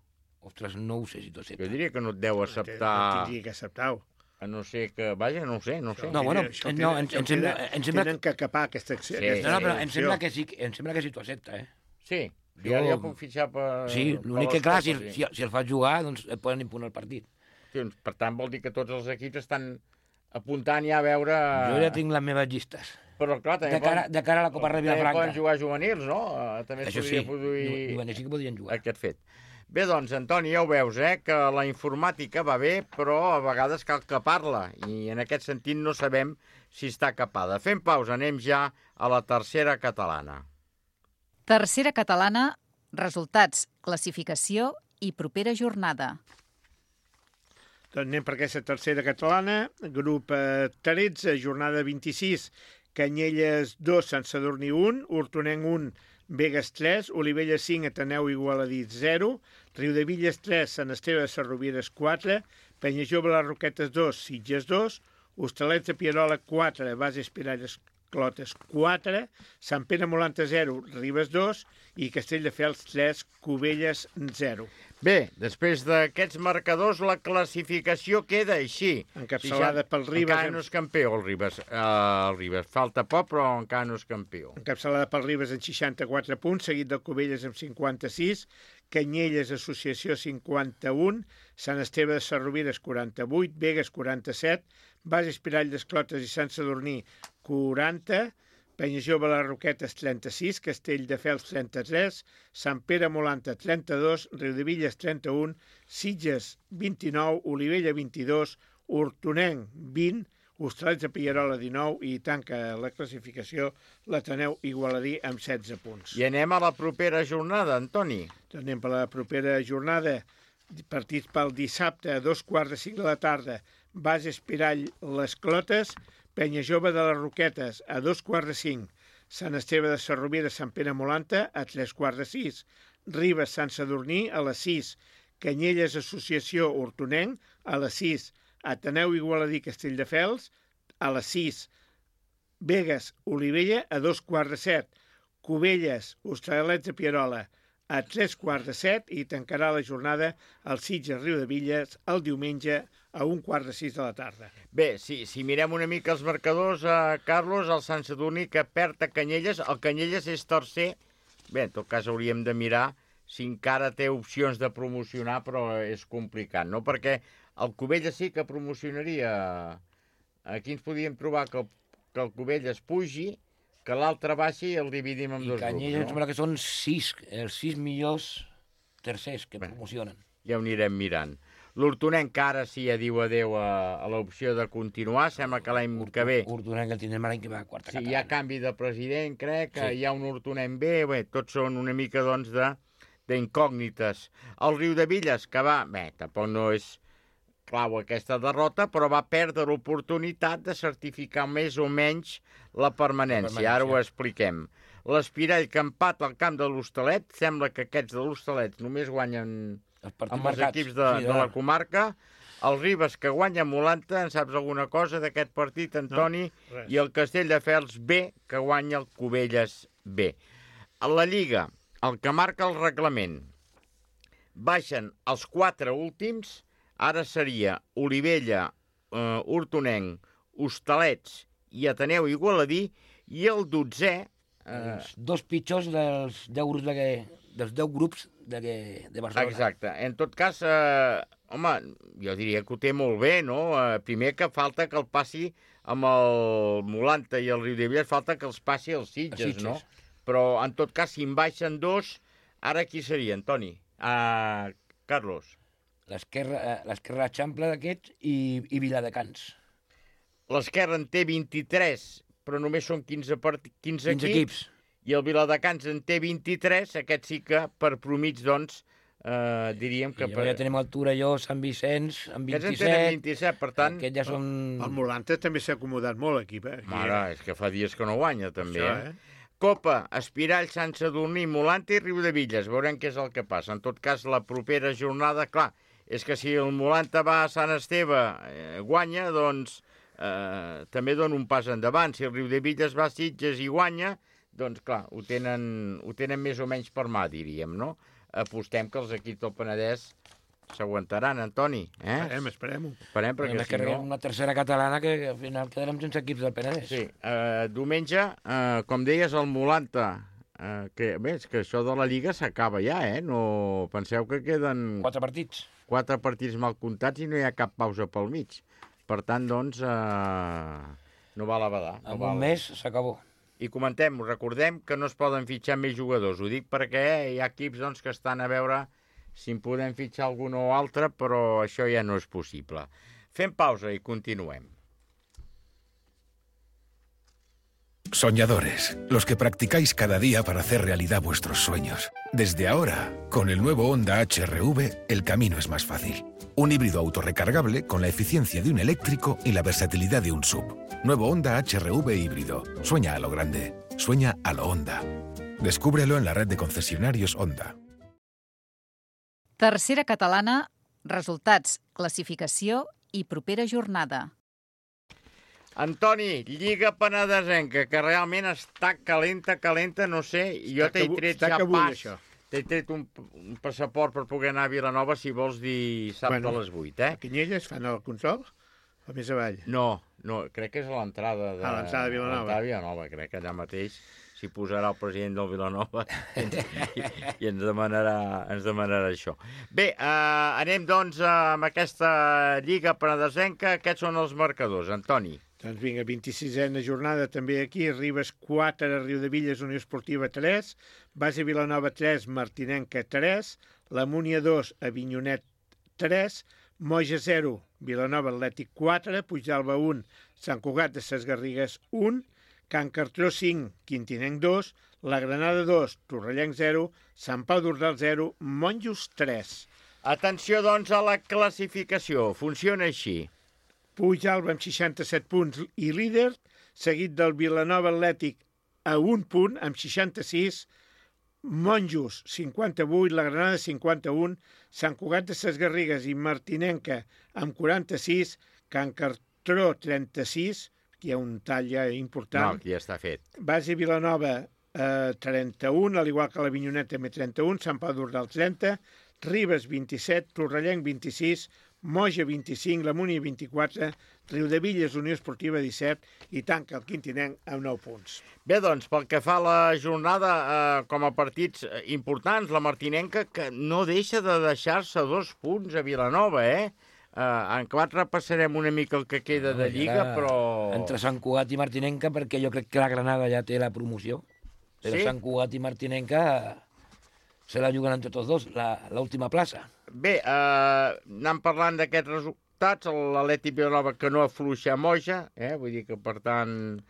Ostres, no ho sé si t'ho accepta. Jo diria que no et deu acceptar... No tindria que acceptar-ho. A no ser que... Vaja, no ho sé. No, bueno, em sembla... Tenen que capar aquesta acció. No, però em sembla que sí t'ho accepta, eh? Sí, jo puc fitxar per... Sí, l'únic que, clar, si el fas jugar, doncs et poden impunar el partit. Per tant, vol dir que tots els equips estan apuntant ja a veure... Jo ja tinc les meves llistes. Però, clar, també de cara a la Copa Vilafranca. També poden jugar juvenils, no? També això es podria produir... Juvenils sí que podrien jugar. Aquest fet. Bé, doncs, Antoni, ja ho veus, que la informàtica va bé, però a vegades cal capar-la, i en aquest sentit no sabem si està capada. Fem pausa, anem ja a la tercera catalana. Tercera catalana, resultats, classificació i propera jornada. Doncs anem per aquesta tercera catalana, grup 13, jornada 26, Canyelles 2, Sant Sadurní 1, Hortonenc 1, Begues 3, Olivella 5, Ateneu Igualadí 0, Riudevilles 3, Sant Esteve de Sarrovires 4, Penyajove les Roquetes 2, Sitges 2, Hostalets de Pierola 4, Bases Piralles Clotes 4, Sant Pere Molanta 0, Ribes 2 i Castelldefels 3, Cubelles 0. Bé, després d'aquests marcadors, la classificació queda així. Encapçalada pel Ribes. Encara no és campió, el Ribes. Falta poc, però encara no és campió. Encapçalada pel Ribes en 64 punts, seguit del Cubelles amb 56, Canyelles Associació 51, Sant Esteve de Sarrovires 48, Begues 47, Bases Piralles Clotes i Sant Sadurní 40, Penyajove les Roquetes 36, Castelldefels 33, Sant Pere Molanta 32, Riudevilles 31, Sitges 29, Olivella 22, Hortonenc 20, Hostalets de Pierola 19 i tanca la classificació l'Ateneu Igualadí amb 16 punts. I anem a la propera jornada, Antoni. Anem per la propera jornada, partits pel dissabte a 2:45 de la tarda, Bases Pirall les Clotes, Penyajove de les Roquetes a 2:45, Sant Esteve de Sarrovires, Sant Pere Molanta a 3:15, Ribes Sant Sadurní a les 6, Canyelles Associació Hortonenc a les 6, Ateneu Igualadí Castelldefels a les 6, Begues Olivella a 2:15, Cubelles Hostalets de Pierola a 3:15 i tancarà la jornada al Sitges Riudevilles el diumenge a 5:15 de la tarda. Bé, si mirem una mica els marcadors, Carlos, el Sant Sadurní que perd a Canyelles, el Canyelles és tercer. Bé, en tot cas hauríem de mirar si encara té opcions de promocionar, però és complicat, no? Perquè el Cubelles sí que promocionaria. Aquí ens podíem trobar que el Cubelles pugi, que l'altre baixi i el dividim en dos grups. I Canyelles em sembla que són 6, els 6 millors tercers que promocionen. Ja ho anirem mirant. L'Hortonenc ara sí ja diu adeu a l'opció de continuar, sembla que l'any que ve... Hortonenc el tindrem l'any que va a quarta catalana. Sí, hi ha canvi de president, crec, que hi ha un Hortonenc bé, tots són una mica, doncs, d'incògnites. El Riudevilles, que va... Bé, tampoc no és clau aquesta derrota, però va perdre l'oportunitat de certificar més o menys la permanència. Ara ho expliquem. L'Espirall, que empata al camp de l'Hostalet, sembla que aquests de l'Hostalet només guanyen amb els equips de la comarca. El Ribes, que guanya a Molanta, en saps alguna cosa d'aquest partit, Antoni? No, i el Castelldefels B, que guanya el Cubelles B. A la Lliga, el que marca el reglament, baixen els 4 últims. Ara seria Olivella, Hortonenc, Hostalets i Ateneu Igualadí, i el 12è... Els 2 pitjors dels 10 grups de Barcelona. Exacte. En tot cas, home, jo diria que ho té molt bé, no? Primer que falta que el passi amb el Molanta i el Riudevilles, falta que els passi els Sitges, no? Però, en tot cas, si en baixen 2, ara qui seria, Antoni? Carlos. L'esquerra l'Eixample d'aquests i Viladecans. L'esquerra en té 23, però només són 15 equips. I el Viladecans en té 23, aquest sí que per promig, doncs, diríem que... Ja tenim el Torelló, Sant Vicenç, amb 27. Aquests en tenen 27, per tant... Aquests ja són... El Molanta també s'ha acomodat molt aquí. Mare, és que fa dies que no guanya, també. Copa, Espirall, Sant Sadurní, Molanta i Riudevilles. Veurem què és el que passa. En tot cas, la propera jornada, clar, és que si el Molanta va a Sant Esteve, guanya, doncs també dona un pas endavant. Si el Riudevilles va a Sitges i guanya, doncs clar, ho tenen més o menys per mà, diríem, no? Apostem que els equips del Penedès s'aguantaran, Antoni. Esperem-ho. Esperem, perquè si no... una tercera catalana que al final quedarem sense equips del Penedès. Sí, diumenge, com deies, el Molanta, que és que això de la Lliga s'acaba ja, No penseu que queden... 4 partits. 4 partits mal comptats i no hi ha cap pausa pel mig. Per tant, doncs, no val a badar. En un mes s'acabó. I recordem que no es poden fitxar més jugadors. Ho dic perquè hi ha equips doncs, que estan a veure si en podem fitxar algun o altre, però això ja no és possible. Fem pausa i continuem. Soñadores, los que practicáis cada día para hacer realidad vuestros sueños. Desde ahora, con el nuevo Honda HR-V, el camino es más fácil. Un híbrido autorrecargable con la eficiencia de un eléctrico y la versatilidad de un SUV. Nuevo Honda HR-V híbrido. Sueña a lo grande. Sueña a lo Honda. Descúbrelo en la red de concesionarios Honda. Tercera catalana, resultats, classificació i propera jornada. Antoni, Lliga Penedesenca, que realment està calenta, no sé, jo t'he tret ja pas, t'he tret un passaport per poder anar a Vilanova, si vols dir dissabte a les 8, A Canyelles fan el consol o més avall? No, crec que és a l'entrada de... A l'entrada de Vilanova. A l'entrada de Vilanova, crec que allà mateix s'hi posarà el president del Vilanova i ens demanarà això. Bé, anem doncs amb aquesta Lliga Penedesenca. Aquests són els marcadors, Antoni. Doncs vinga, 26a jornada també aquí, Ribes 4, Riudevilles, Unió Esportiva 3, Base Vilanova 3, Martinenca 3, la Múnia 2, Avinyonet 3, Moja 0, Vilanova Atlètic 4, Puigdàlber 1, Sant Cugat de Ses Garrigues 1, Can Cartró 5, Quintinenc 2, la Granada 2, Torrellenc 0, Sant Pau d'Ordal 0, Monjos 3. Atenció, doncs, a la classificació. Funciona així. Puigdàlber amb 67 punts i líder, seguit del Vilanova Atlètic a 1 punt amb 66, Monjos 58, la Granada 51, Sant Cugat de Ses Garrigues i Martinenca amb 46, Can Cartró 36, que hi ha un tall ja important. No, aquí ja està fet. Base Vilanova 31, al igual que l'Avinyonet també 31, Sant Pau d'Ordal 30, Ribes 27, Torrellenc 26, Moja 25, la Múnia 24, Riudevilles, Unió Esportiva 17 i tanca el Quintinenc amb 9 punts. Bé, doncs, pel que fa a la jornada, com a partits importants, la Martinenca, que no deixa de deixar-se 2 punts a Vilanova, En 4 repassarem una mica el que queda de Lliga, però... Entre Sant Cugat i Martinenca, perquè jo crec que la Granada ja té la promoció. Però sí? Sant Cugat i Martinenca se la juguen entre tots dos, l'última plaça. Bé, anant parlant d'aquests resultats, l'Atlètic Vilanova que no afluixa a Moja, vull dir que, per tant...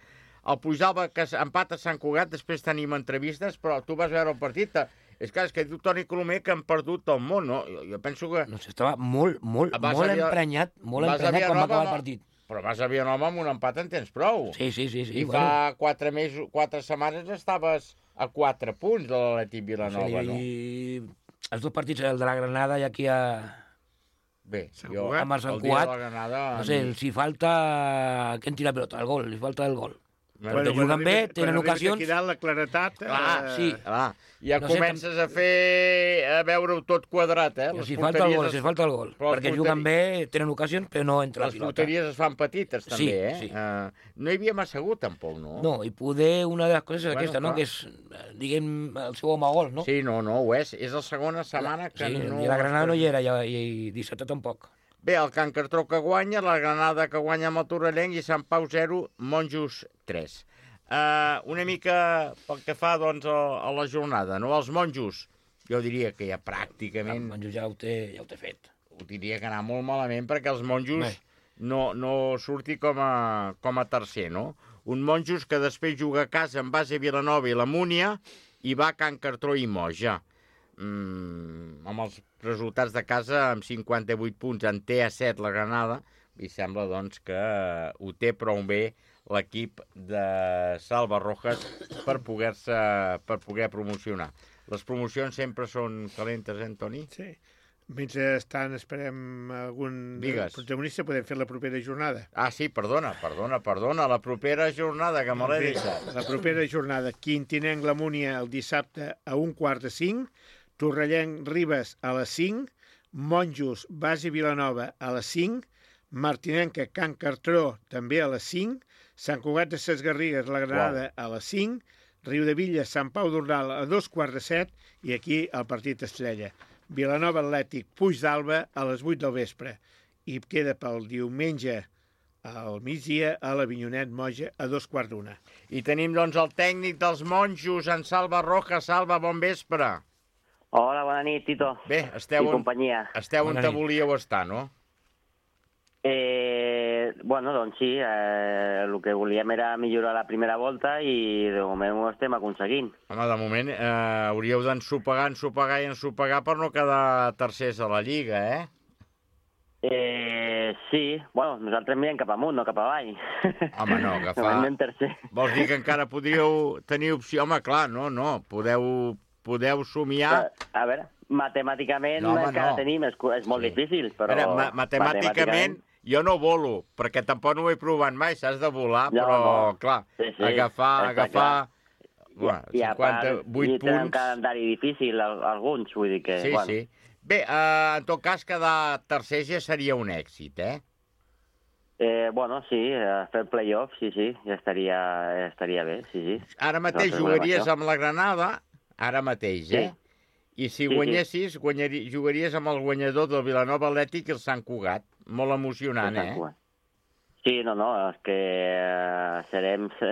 El Puigdàlber que empata a Sant Cugat, després tenim entrevistes, però tu vas veure el partit... És que diu Toni Colomer que han perdut el món, no? Jo penso que... No sé, estava molt emprenyat quan va acabar el partit. Però vas a Vilanova amb un empat en tens prou. Sí. I fa 4 setmanes estaves a 4 punts de l'Atlètic Vilanova, no? I els 2 partits, el de la Granada i aquí a... Bé, jo amb el Sant Cugat, no sé, si falta... Que en tira pelota, el gol, li falta el gol. Perquè juguen bé, tenen ocasions... Aquí dalt la claretat... sí. Ja comences a veure-ho tot quadrat, Si falta el gol, perquè juguen bé, tenen ocasions, però no entra la pilota. Les porteries es fan petites, també, Sí. No hi havia massa hagut, tampoc, no? No, i poder una de les coses és aquesta, no?, que és, diguem, el seu home gol, no? Sí, no, ho és. És la segona setmana que no... I la Granada no hi era, i dissabte tampoc. Bé, el Can Cartró que guanya, la Granada que guanya amb el Torrellenc i Sant Pau 0, Monjos 3. Una mica pel que fa doncs, a la jornada, no? Els Monjos, jo diria que ja pràcticament... Els Monjos ja ho té fet. Ho diria que anar molt malament perquè els Monjos no surti com a tercer, no? Un Monjos que després juga a casa en Base Vilanova i la Múnia i va a Can Cartró i Moja. amb els resultats de casa, amb 58 punts, en té a 7 la Granada, i sembla, doncs, que ho té prou bé l'equip de Salva Rojas per poder promocionar. Les promocions sempre són calentes, Toni? Sí. Mentrestant esperem algun protagonista, podem fer la propera jornada. Ah, sí, perdona, la propera jornada, que me l'he deixat. La propera jornada, Quintinenc La Múnia el dissabte a 4:45, Torrellenc Ribes a les 5, Monjos Base Vilanova a les 5, Martinenca Can Cartró també a les 5, Sant Cugat de Ses Garrigues La Granada a les 5, Riudebitlles Sant Pau d'Ordal a 2:15 i aquí el partit estrella. Vilanova Atlètic Puig d'Alba a les 8 del vespre i queda pel diumenge al migdia a l'Avinyonet Moja a 2:15. I tenim, doncs, el tècnic dels Monjos, en Salva Rojas. Salva, bon vespre. Hola, bona nit, Tito. Bé, esteu on te volíeu estar, no? Bueno, doncs sí, el que volíem era millorar la primera volta i de moment ho estem aconseguint. Home, de moment hauríeu d'ensopegar per no quedar tercers a la Lliga, Sí, bueno, nosaltres mirem cap amunt, no cap avall. Home, no, agafar... Vols dir que encara podríeu tenir opció? Home, clar, no, podeu somiar... A veure, matemàticament encara tenim, és molt difícil, però... Matemàticament... Jo no volo, perquè tampoc no ho he provat mai, s'has de volar, però, clar, agafar... I a part, tenen un calendari difícil, alguns, vull dir que... Sí. Bé, en tot cas, quedar tercer ja seria un èxit, Bueno, sí, fer playoff, sí, ja estaria bé, sí. Ara mateix jugaries amb la Granada, ara mateix, I si guanyessis, jugaries amb el guanyador del Vilanova Atlètic i el Sant Cugat. Molt emocionant, Sí, no, és que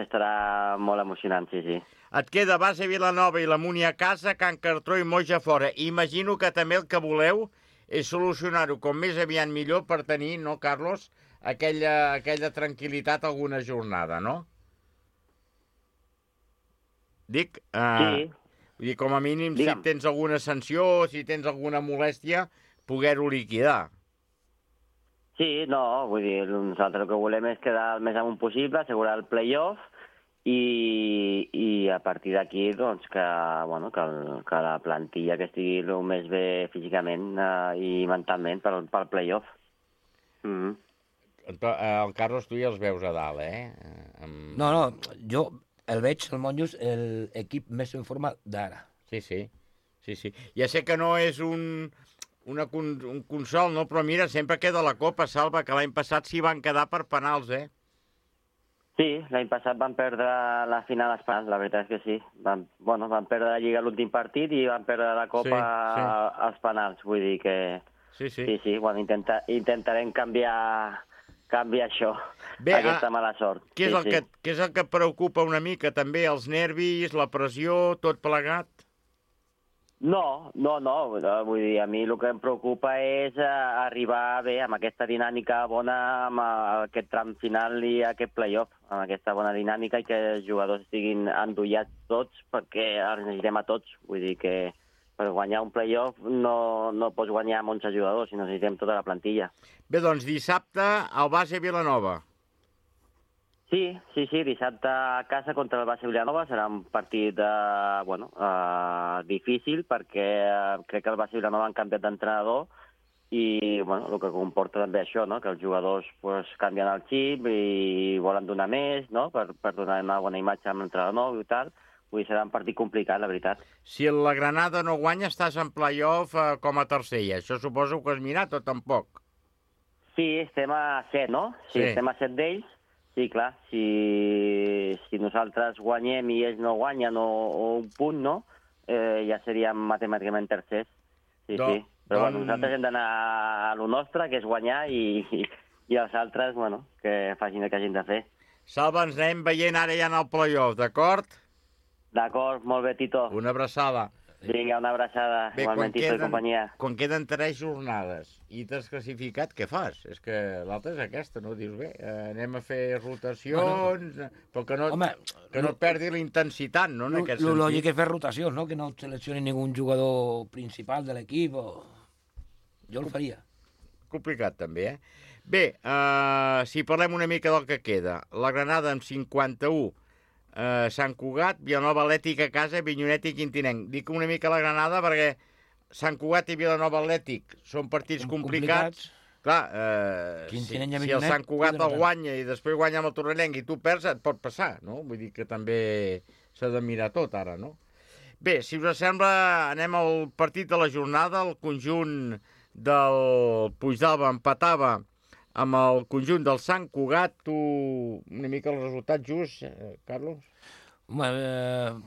estarà molt emocionant, sí. Et queda Base Vilanova i la Múnia a casa, Can Cartró i Moja fora. Imagino que també el que voleu és solucionar-ho com més aviat millor per tenir, no, Carlos, aquella tranquil·litat alguna jornada, no? Dic, vull dir, com a mínim, si tens alguna sanció, si tens alguna molèstia, poder-ho liquidar. Sí, no, vull dir, nosaltres el que volem és quedar el més amunt possible, assegurar el play-off i a partir d'aquí, doncs, que la plantilla que estigui el més bé físicament i mentalment pel play-off. El Carlos, tu ja els veus a dalt, No, jo el veig, el Monjos, l'equip més en forma d'ara. Sí. Ja sé que no és un consol, no? Però mira, sempre queda la Copa, Salva, que l'any passat s'hi van quedar per penals, Sí, l'any passat van perdre la final als penals, la veritat és que sí. Van perdre la Lliga l'últim partit i van perdre la Copa als penals, vull dir que... Sí, bueno, intentarem canviar això, aquesta mala sort. Què és el que et preocupa una mica, també? Els nervis, la pressió, tot plegat? No, vull dir, a mi el que em preocupa és arribar bé amb aquesta dinàmica bona, amb aquest tram final i aquest play-off, amb aquesta bona dinàmica i que els jugadors estiguin endollats tots, perquè els necessitem a tots. Vull dir que per guanyar un play-off no pots guanyar amb 11 jugadors, sinó necessitem tota la plantilla. Bé, doncs dissabte al Base Vilanova. Sí, dissabte a casa contra el Base Vilanova serà un partit difícil perquè crec que el Base Vilanova han canviat d'entrenador i el que comporta també això, no? Que els jugadors canvien el xip i volen donar més, no? Per donar una bona imatge amb l'entrenador nou i tal. Vull dir, serà un partit complicat, la veritat. Si la Granada no guanya, estàs en play-off com a tercer. Això suposo que has mirat o tampoc? Sí, estem a 7, no? Sí, estem a 7 d'ells. Sí, clar, si nosaltres guanyem i ells no guanyen o un punt, no? Ja seríem matemàticament tercers. Sí. Però nosaltres hem d'anar a lo nostre, que és guanyar, i els altres, que facin el que hagin de fer. Salva, ens anem veient ara ja en el play-off, d'acord? D'acord, molt bé, Tito. Una abraçada. Vinga, una abraçada. Bé, igualment, i companyia. Quan queden 3 jornades i t'has classificat, què fas? És que l'altra és aquesta, no? Dius, bé, anem a fer rotacions, però que no et perdi la intensitat, no? En aquest sentit. Lo lògic és fer rotacions, no? Que no et seleccioni ningú jugador principal de l'equip. Jo el faria. Complicat, també, eh? Bé, si parlem una mica del que queda. La Granada amb 51, Sant Cugat, Vilanova Atlètic a casa, Avinyonet i Quintinenc. Dic una mica la Granada perquè Sant Cugat i Vilanova Atlètic són partits complicats. Clar, si el Sant Cugat el guanya i després guanya amb el Torrellenc i tu perds, et pot passar, no? Vull dir que també s'ha de mirar tot ara, no? Bé, si us sembla, anem al partit de la jornada. El conjunt del Puigdàlber empatava amb el conjunt del Sant Cugat. Tu, una mica el resultat just, Carlos? Home,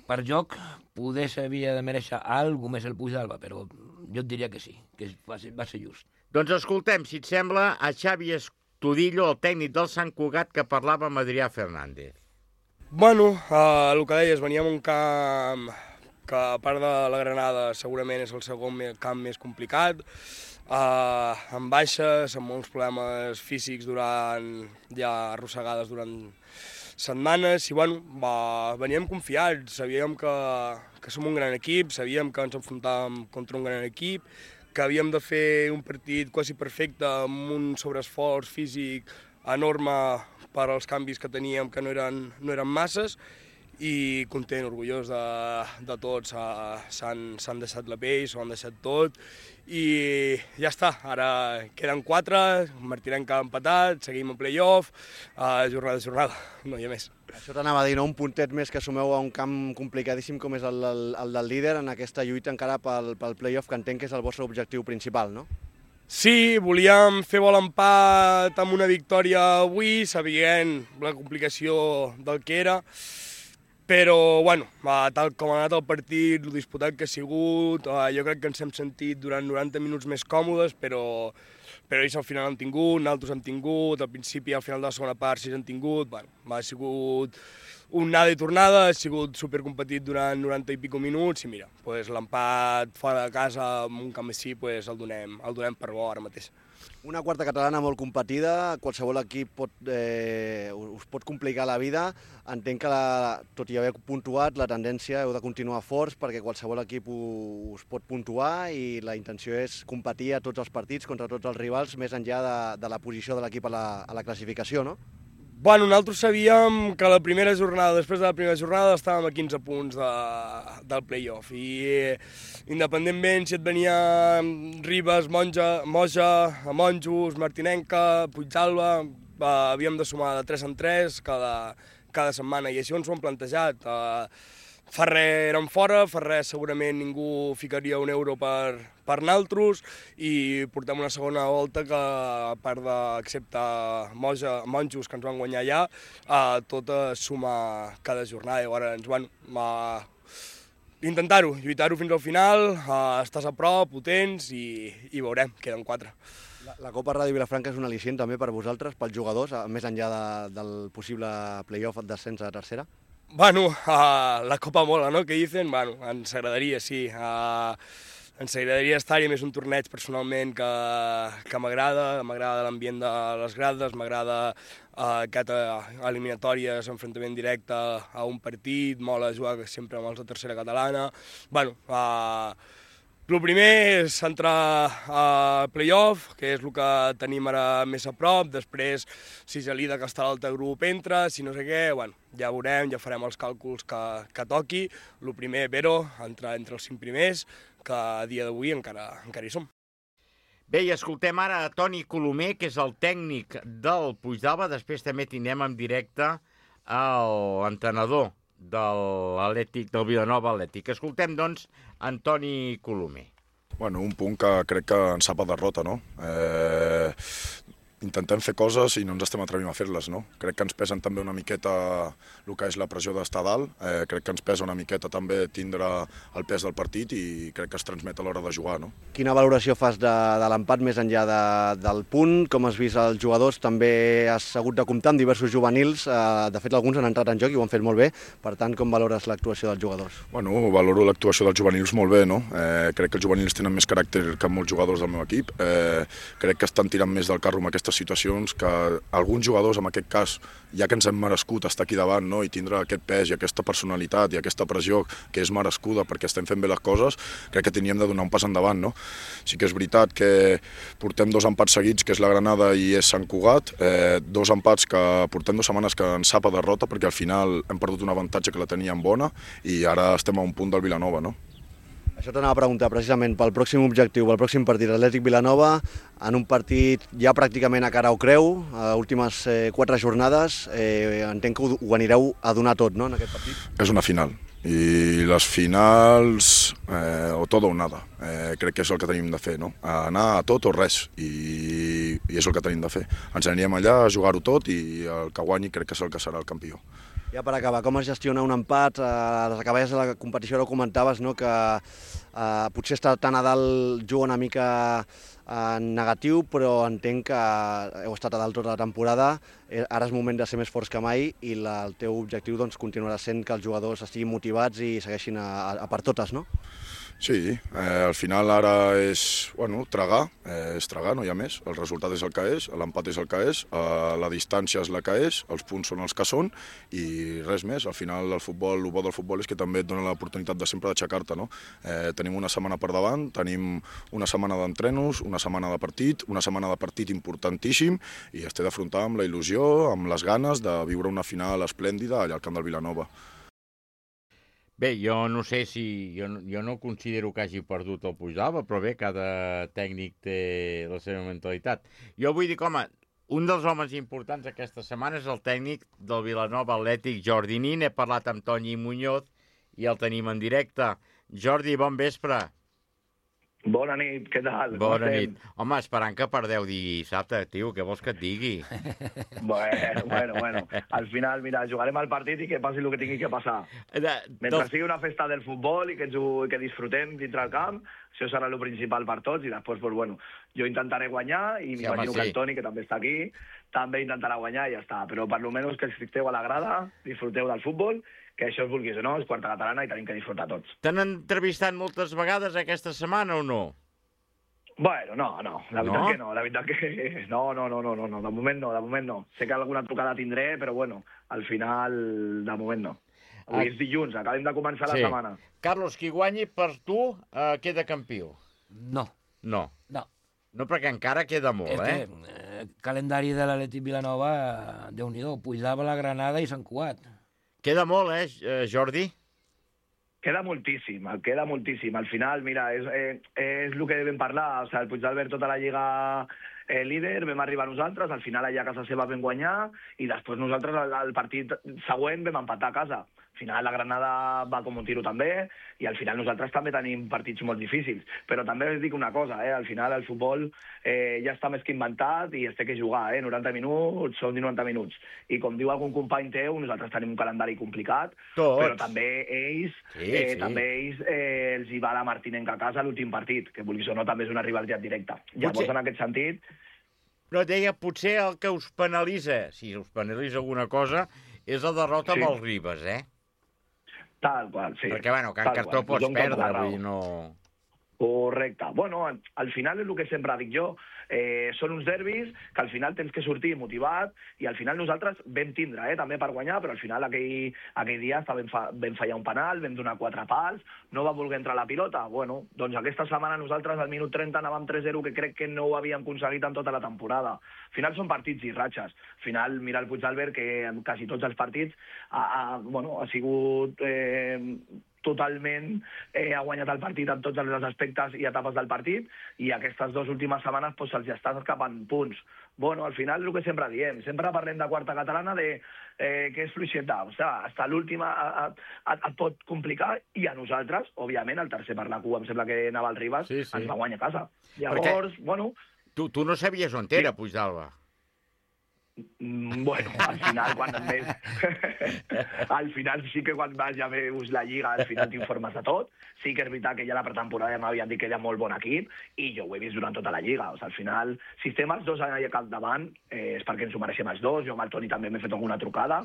per joc, poder s'havia de mereixer alguna més el Puigdàlber, però jo et diria que sí, que va ser just. Doncs escoltem, si et sembla, a Xavi Estudillo, el tècnic del Sant Cugat, que parlava amb Adrià Fernández. Bueno, el que deies, veníem un camp que, a part de la Granada, segurament és el segon camp més complicat, amb baixes, amb molts problemes físics ja arrossegades durant setmanes, i bueno, veníem confiats, sabíem que som un gran equip, sabíem que ens enfrontàvem contra un gran equip, que havíem de fer un partit quasi perfecte amb un sobreesforç físic enorme per als canvis que teníem, que no eren masses, i content, orgullós de tots. S'han deixat la pell, s'ho han deixat tot, i ja està. Ara queden 4, Martinenc ha empatat, seguim en play-off, jornada a jornada, no hi ha més. Això t'anava a dir, no? Un puntet més que sumeu a un camp complicadíssim com és el del líder en aquesta lluita encara pel play-off, que entenc que és el vostre objectiu principal, no? Sí, volíem fer vol empat amb una victòria avui, sabent la complicació del que era, però, bueno, tal com ha anat el partit, el disputat que ha sigut, jo crec que ens hem sentit durant 90 minuts més còmodes, però ells al final han tingut, nosaltres hem tingut, al principi i al final de la segona part sí han tingut, bueno, ha sigut un nada i tornada, ha sigut supercompetit durant 90 i pico minuts, i mira, pues, l'empat fora de casa en un camp així, pues, el donem per bo ara mateix. Una quarta catalana molt competida, qualsevol equip us pot complicar la vida. Entenc que, tot i haver puntuat, la tendència heu de continuar forts perquè qualsevol equip us pot puntuar i la intenció és competir a tots els partits contra tots els rivals, més enllà de la posició de l'equip a la classificació, no? Bueno, nosaltres sabíem que després de la primera jornada estàvem a 15 punts del play-off i independentment si et venia Ribes, Moja, Monjos, Martinenca, Puigdàlber, havíem de sumar de 3 en 3 cada setmana i així ens ho hem plantejat. Ferrer érem fora, Ferrer segurament ningú ficaria un euro per naltros i portem una segona volta que, a part d'excepte Monjos, que ens van guanyar allà, tot suma cada jornada. Llavors, bueno, intentar-ho, lluitar-ho fins al final, estàs a prop, potents i veurem, queden 4. La Copa Ràdio Vilafranca és un al·licient també per vosaltres, pels jugadors, més enllà del possible play-off d'ascens a tercera? Bueno, la Copa mola, ¿no? Que dicen? Bueno, ens agradaria, sí. Ens agradaria estar-hi, més un torneig personalment que m'agrada l'ambient de les grades, m'agrada aquesta eliminatòria, enfrontament directe a un partit, mola jugar sempre amb els de tercera catalana. Bueno, el primer és entrar a play-off, que és el que tenim ara més a prop, després si Gelida, que està a l'altre grup, entra, si no sé què, bueno, ja veurem, ja farem els càlculs que toqui. El primer, però, entrar entre els 5 primers, que a dia d'avui encara hi som. Bé, i escoltem ara a Toni Colomer, que és el tècnic del Puigdàlber, després també tindrem en directe l'entrenador del Vilanova Atlètic. Escoltem, doncs, Antoni Colomer. Bueno, un punt que crec que ens sap a derrota, no? intentem fer coses i no ens estem atrevint a fer-les, no? Crec que ens pesen també una miqueta el que és la pressió d'estar dalt, crec que ens pesa una miqueta també tindre el pes del partit i crec que es transmet a l'hora de jugar, no? Quina valoració fas de l'empat més enllà del punt? Com has vist els jugadors? També has hagut de comptar amb diversos juvenils, de fet alguns han entrat en joc i ho han fet molt bé, per tant com valores l'actuació dels jugadors? Bueno, valoro l'actuació dels juvenils molt bé, no? Crec que els juvenils tenen més caràcter que molts jugadors del meu equip, crec que estan tirant més del carro en aquestes situacions, que alguns jugadors, en aquest cas, ja que ens hem merescut estar aquí davant, no? I tindre aquest pes i aquesta personalitat i aquesta pressió que és merescuda perquè estem fent bé les coses, crec que teníem de donar un pas endavant, no? Sí que és veritat que portem 2 empats seguits, que és la Granada i és Sant Cugat, 2 empats que portem 2 setmanes que ens sap a derrota perquè al final hem perdut un avantatge que la teníem bona i ara estem a un punt del Vilanova, no? Això t'anava a preguntar precisament pel pròxim objectiu, pel pròxim partit, Atlètic Vilanova, en un partit ja pràcticament a cara o creu, últimes 4 jornades, entenc que ho anireu a donar tot, no, en aquest partit? És una final, i les finals, o tot o nada, crec que és el que tenim de fer, no? Anar a tot o res, i és el que tenim de fer. Ens anirem allà a jugar-ho tot i el que guanyi crec que és el que serà el campió. Ja per acabar, com es gestiona un empat? A les acaballes de la competició ara ho comentaves, no? Que potser estar tan a dalt juga una mica negatiu, però entenc que heu estat a dalt tota la temporada, ara és moment de ser més forts que mai i el teu objectiu doncs, continuarà sent que els jugadors estiguin motivats i segueixin a per totes, no? Sí, al final ara és, bueno, tragar, no hi ha més, el resultat és el que és, l'empat és el que és, la distància és la que és, els punts són els que són i res més, al final el futbol, el bo del futbol és que també et dona l'oportunitat de sempre d'aixecar-te, no? Tenim una setmana per davant, tenim una setmana d'entrenos, una setmana de partit importantíssim i es té d'afrontar amb la il·lusió, amb les ganes de viure una final esplèndida allà al camp del Vilanova. Bé, jo no sé si... Jo no considero que hagi perdut el Puigdàlber, però bé, cada tècnic té la seva mentalitat. Jo vull dir, home, un dels homes importants aquesta setmana és el tècnic del Vilanova Atlètic, Jordi Nin. He parlat amb Toni Muñoz i el tenim en directe. Jordi, bon vespre. Bona nit, què tal? Bona nit. Home, esperant que perdeu dissabte, tio, què vols que et digui? Bueno. Al final, mira, jugarem al partit i que passi el que tingui que passar. Mentre sigui una festa del futbol i que disfrutem dintre el camp, això serà el principal per tots i després, pues, bueno, jo intentaré guanyar i m'imagino que el Toni, que també està aquí, també intentarà guanyar i ja està. Però per almenys que esteu a la grada, disfruteu del futbol, que això es vulguis o no, és quarta catalana i tenim que disfrutar tots. T'han entrevistat moltes vegades aquesta setmana o no? Bueno, no, la veritat que no, la veritat que no, de moment no. Sé que alguna trucada tindré, però bueno, al final, de moment no. Avui és dilluns, acabem de començar la setmana. Carlos, qui guanyi per tu queda campió? No. No, perquè encara queda molt, el calendari de l'Atlètic Vilanova, Déu-n'hi-do, Puigdàlber, la Granada i Sant Cugat. Queda molt, Jordi? Queda moltíssim. Al final, mira, és el que vam parlar. O sigui, el Puigdàlber tota la lliga líder, vam arribar nosaltres, al final allà a casa seva vam guanyar i després nosaltres al partit següent vam empatar a casa. Al final la Granada va com un tiro també i al final nosaltres també tenim partits molt difícils. Però també us dic una cosa, al final el futbol ja està més que inventat i es té que jugar, 90 minuts són 90 minuts. I com diu algun company teu, nosaltres tenim un calendari complicat, però també ells, els hi va la Martinenca a casa l'últim partit, que vulguis o no també és una rivalitat directa. Llavors, en aquest sentit... Però deia, potser el que us penalitza, si us penalitza alguna cosa, és la derrota amb els Ribes, Tal qual, sí. Perquè, bueno, Can Cartó pots perdre, vull dir, no... Correcte. Bueno, al final és el que sempre dic jo. Són uns derbis que al final tens que sortir motivat i al final nosaltres vam tindre, també per guanyar, però al final aquell dia vam fallar un penal, vam donar 4 pals, no va voler entrar la pilota. Bueno, doncs aquesta setmana nosaltres al minut 30 anàvem 3-0, que crec que no ho havíem aconseguit en tota la temporada. Al final són partits i ratxes. Al final, mira el Puigdàlber, que en quasi tots els partits ha sigut... totalment ha guanyat el partit en tots els aspectes i etapes del partit i aquestes 2 últimes setmanes se'ls estan escapant punts. Bueno, al final és el que sempre diem, sempre parlem de quarta catalana que és fluixeta, o sigui, hasta l'última et pot complicar i a nosaltres, òbviament, el tercer per la cua, em sembla que anava al Ribas, ens va guanyar a casa. Llavors, bueno... Tu no sabies on era, Puigdàlber? Bueno, al final, al final sí que quan vas ja veus la Lliga, al final t'informes de tot. Sí que és veritat que ja la pretemporada ja m'havien dit que era molt bon equip i jo ho he vist durant tota la Lliga. O sigui, al final, si estem els dos allà al davant, és perquè ens ho mereixem els dos. Jo amb el Toni també m'he fet alguna trucada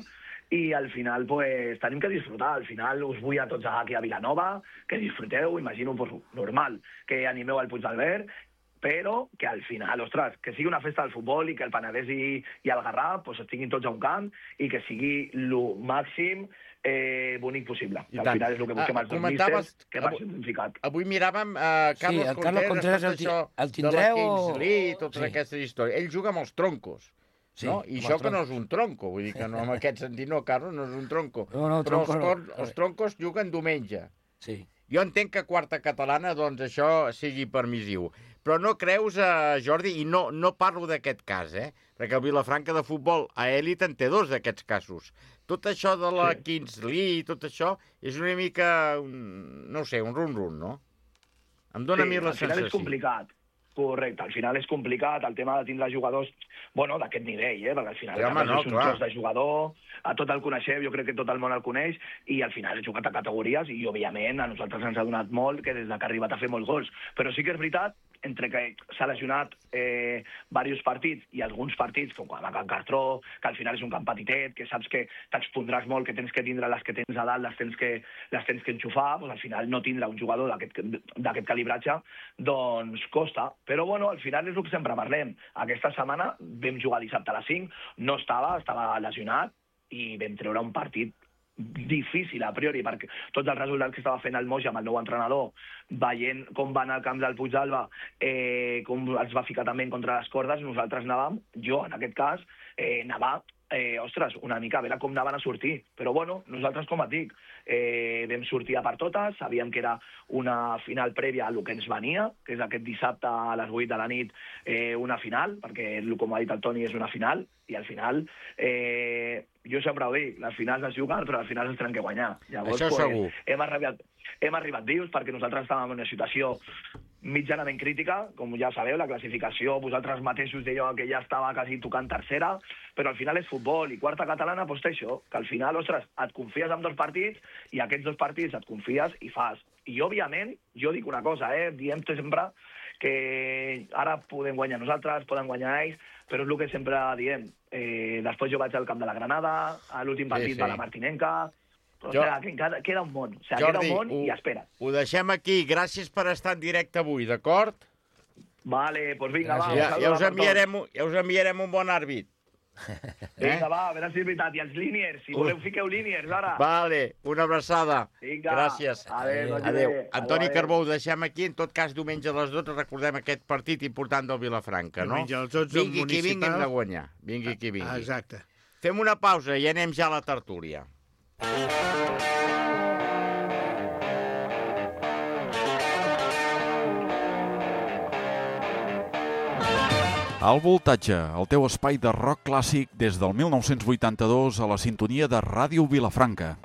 i al final pues, tenim que disfrutar. Al final us vull a tots aquí a Vilanova, que disfruteu, imagino pues, normal, que animeu al Puig d'Albert, però que al final, ostres, que sigui una festa del futbol i que el Penedès i el Garraf pues, estiguin tots a un camp i que sigui el màxim bonic possible. Al final és el que busquem els dos místers, que va ser significat. Avui miràvem Carlos Contreras el tindreu de la Kings League i totes aquestes històries. Ell juga amb els troncos. Sí, no? I això que no és un tronco, vull dir que no, en aquest sentit no, Carlos, no és un tronco. No, però els troncos juguen diumenge. Sí. Jo entenc que quarta catalana, doncs, això sigui permissiu. Però no creus, Jordi, i no parlo d'aquest cas, perquè el Vilafranca de futbol a elit en té dos d'aquests casos. Tot això de la Kings League, tot això, és una mica, no sé, un run-run, no? Em dóna a mi la sensació. Al final és complicat. Correcte, al final és complicat el tema de tindre jugadors d'aquest nivell, perquè al final és un tros de jugador, a tot el coneixeu, jo crec que tot el món el coneix, i al final he jugat a categories i, òbviament, a nosaltres ens ha donat molt que des que ha arribat a fer molts gols. Però sí que és veritat, entre que s'ha lesionat diversos partits i alguns partits, com a Can Cartró, que al final és un camp petitet, que saps que t'expondràs molt, que tens que tindre les que tens a dalt, les tens que enxufar, doncs al final no tindre un jugador d'aquest calibratge, doncs costa. Però, al final és el que sempre parlem. Aquesta setmana vam jugar dissabte a les 5, no estava lesionat i vam treure un partit difícil a priori, perquè tots els resultats que estava fent el Moja amb el nou entrenador, veient com va anar al camp del Puig d'Alba, com els va ficar també contra les cordes, nosaltres anàvem, jo en aquest cas, anava, una mica a veure com anaven a sortir. Però nosaltres, com et dic, vam sortir a per totes, sabíem que era una final prèvia a el que ens venia, que és aquest dissabte a les 8 de la nit, una final, perquè, com ha dit el Toni, és una final, i al final, jo sempre ho dic, les finals es juguen, però les finals es tenen que guanyar. Llavors, això segur. Hem arribat vius perquè nosaltres estàvem en una situació mitjanament crítica, com ja sabeu, la classificació, vosaltres mateixos dèieu que ja estava quasi tocant tercera, però al final és futbol, i quarta catalana té això, que al final, ostres, et confies en dos partits, i aquests dos partits et confies i fas. I, òbviament, jo dic una cosa, diem sempre que ara podem guanyar nosaltres, poden guanyar ells, però és el que sempre diem. Després jo vaig al camp de la Granada, a l'últim partit va la Martinenca, però queda un món, queda un món i espera. Ho deixem aquí, gràcies per estar en directe avui, d'acord? Vale, doncs vinga, va. Ja us enviarem un bon àrbit. Vinga, va, a veure si és veritat. I els líniers, si voleu fiqueu líniers, ara. Vale, una abraçada. Vinga. Gràcies. Adéu. Antoni Carbó, ho deixem aquí. En tot cas, diumenge a les 12 recordem aquest partit important del Vilafranca, no? Diumenge a les 12 vingui qui vingui, hem de guanyar. Vingui qui vingui. Exacte. Fem una pausa i anem ja a la tertúlia. Al Voltatge, el teu espai de rock clàssic des del 1982 a la sintonia de Ràdio Vilafranca.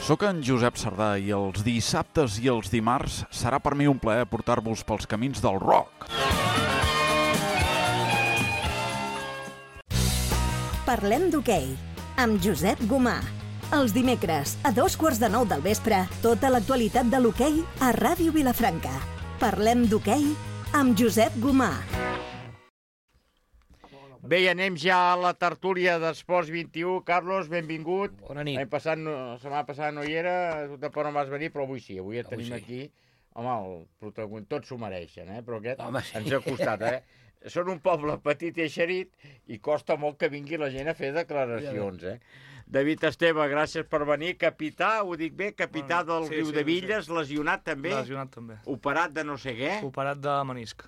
Soc en Josep Sardà i els dissabtes i els dimarts serà per mi un plaer portar-vos pels camins del rock. Parlem d'hoquei, amb Josep Gomà. Els dimecres, a 8:45 del vespre, tota l'actualitat de l'hoquei a Ràdio Vilafranca. Parlem d'hoquei amb Josep Gomà. Bé, anem ja a la tertúlia d'Esports 21. Carlos, benvingut. Bona nit. La setmana passada no hi era, tu tampoc no vas venir, però avui sí. Avui et tenim aquí. Home, el protagonista, tots s'ho mereixen, però aquest ens ha costat, Són un poble petit i eixerit i costa molt que vingui la gent a fer declaracions, David Esteve, gràcies per venir. Capità, ho dic bé, capità del Riudevilles, lesionat també? Lesionat també. Operat de no sé què? Operat de menisc.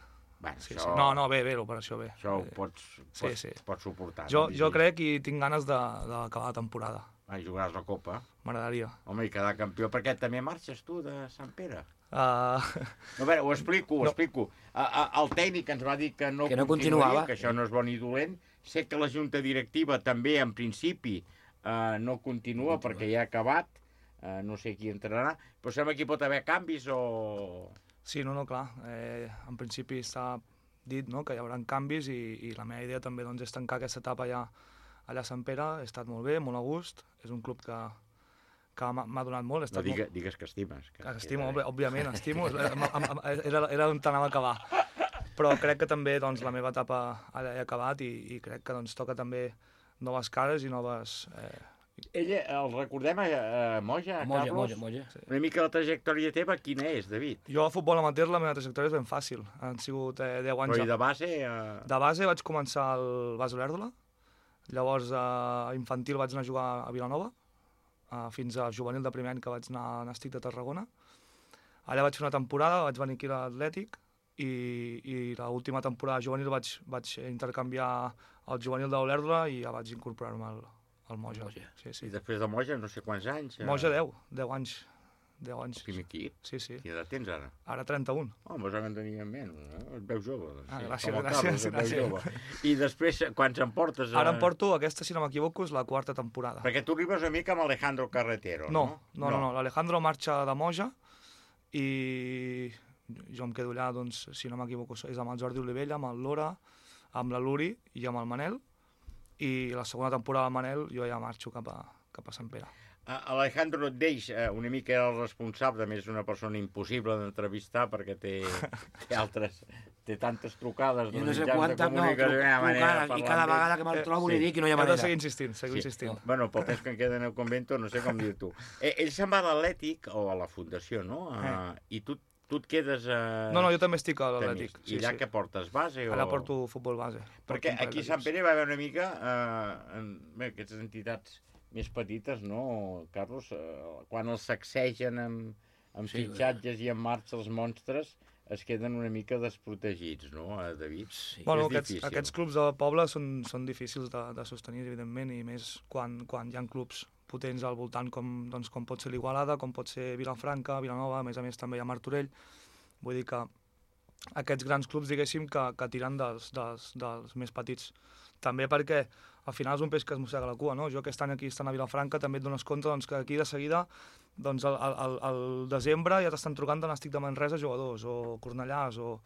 No, bé, l'operació bé. Això ho pots suportar. Jo crec i tinc ganes d'acabar la temporada. Jugaràs la Copa? M'agradaria. Home, i quedar campió, perquè també marxes tu de Sant Pere? A veure, ho explico. El tècnic ens va dir que no continuaria, que això no és bon ni dolent. Sé que la junta directiva també, en principi, no continua perquè ja ha acabat, no sé qui entrarà, però sembla que hi pot haver canvis o... Sí, clar, en principi està dit, no?, que hi haurà canvis i la meva idea també doncs, és tancar aquesta etapa allà a Sant Pere. He estat molt bé, molt a gust, és un club que m'ha donat molt. No, digues que estimes. Que estimo, òbviament, estimo. Era on t'anava a acabar. Però crec que també doncs, la meva etapa allà he acabat i crec que doncs, toca també noves cares i noves... Ella, el recordem a Moja, Carlos? Moja. Sí. Una mica la trajectòria teva, quina és, David? Jo a futbol amateur la meva trajectòria és ben fàcil. Han sigut 10 anys... Però i de base? De base vaig començar al Bas Olèrdola, llavors a infantil vaig anar a jugar a Vilanova, fins a juvenil de primer any que vaig anar a Nàstic de Tarragona. Allà vaig fer una temporada, vaig venir aquí a l'Atlètic, i l'última temporada juvenil vaig intercanviar el juvenil d'Olèrdola i ja vaig incorporar-me al Moja. Sí. I després de Moja no sé quants anys? Moja 10 anys. 10 anys. Primer equip? Sí. Quina edat tens ara? Ara 31. Pues ara en tenia menys, et veus jove. Gràcies. I després, quants en portes? Ara em porto, aquesta, si no m'equivoco, és la 4ª temporada. Perquè tu arribes una mica amb Alejandro Carretero, no? No. L'Alejandro marxa de Moja i jo em quedo allà, doncs, si no m'equivoco, és amb el Jordi Olivella, amb el Lora, amb la Luri i amb el Manel, i la segona temporada del Manel jo ja marxo cap a Sant Pere. Alejandro et deix, una mica era el responsable, a més és una persona impossible d'entrevistar perquè té tantes trucades. Jo no sé quantes, trucades, i cada vegada que me'l trobo li dic i no hi ha manera. He de seguir insistint. Bueno, pel temps que em queda en el convento, no sé com dir tu. Ell se'n va a l'Atlètic, o a la Fundació, no? I tu et quedes... No, jo també estic a l'Atlètic. I allà què portes, base? Allà porto futbol base. Perquè aquí a Sant Pere va haver una mica aquestes entitats més petites, no, Carlos? Quan els sacsegen amb fitxatges i en marxa els monstres, es queden una mica desprotegits, no, David? Sí. Bueno, aquests clubs de poble són difícils de sostenir, evidentment, i més quan hi ha clubs potents al voltant com pot ser l'Igualada, com pot ser Vilafranca, Vilanova, a més també hi ha Martorell. Vull dir que aquests grans clubs, diguéssim, que tiren dels més petits. També perquè al final és un peix que es mossega la cua, no? Jo aquest any aquí estant a Vilafranca també et dones compte que aquí de seguida al desembre ja t'estan trucant de Nàstic de Manresa jugadors, o Cornellàs, o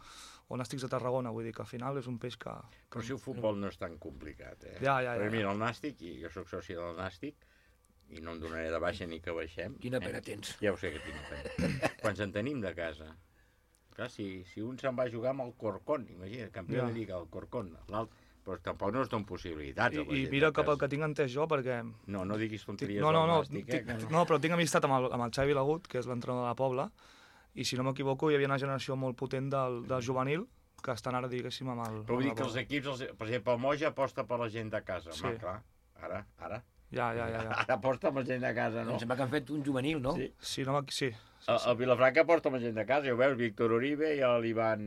Nàstics de Tarragona, vull dir que al final és un peix que... Però si el futbol no és tan complicat, eh? Ja. Perquè mira, el Nàstic, i jo soc soci del Nàstic, i no em donaré de baixa ni que baixem. Quina pena tens. Ja ho sé que tinc pena. Quants en tenim de casa? Clar, si un se'n va jugar amb el Corcón, imagina't, campió de Lliga, el Corcón, l'altre, però tampoc no es donen possibilitats. I mira que pel que tinc entès jo, perquè... No diguis tonteries del Nàstic. No, però tinc amistat amb el Xavi Lagut, que és l'entrenador de la Pobla, i si no m'equivoco hi havia una generació molt potent del juvenil, que estan ara, diguéssim, amb el... Però vull dir que els equips, per exemple, el Moja aposta per la gent de casa. Sí. Clar, ara. Ja. Ara aposta per la gent de casa, no? Em sembla que han fet un juvenil, no? Sí. El Vilafranca aposta per la gent de casa, ja ho veus, Víctor Uribe i l'Ivan...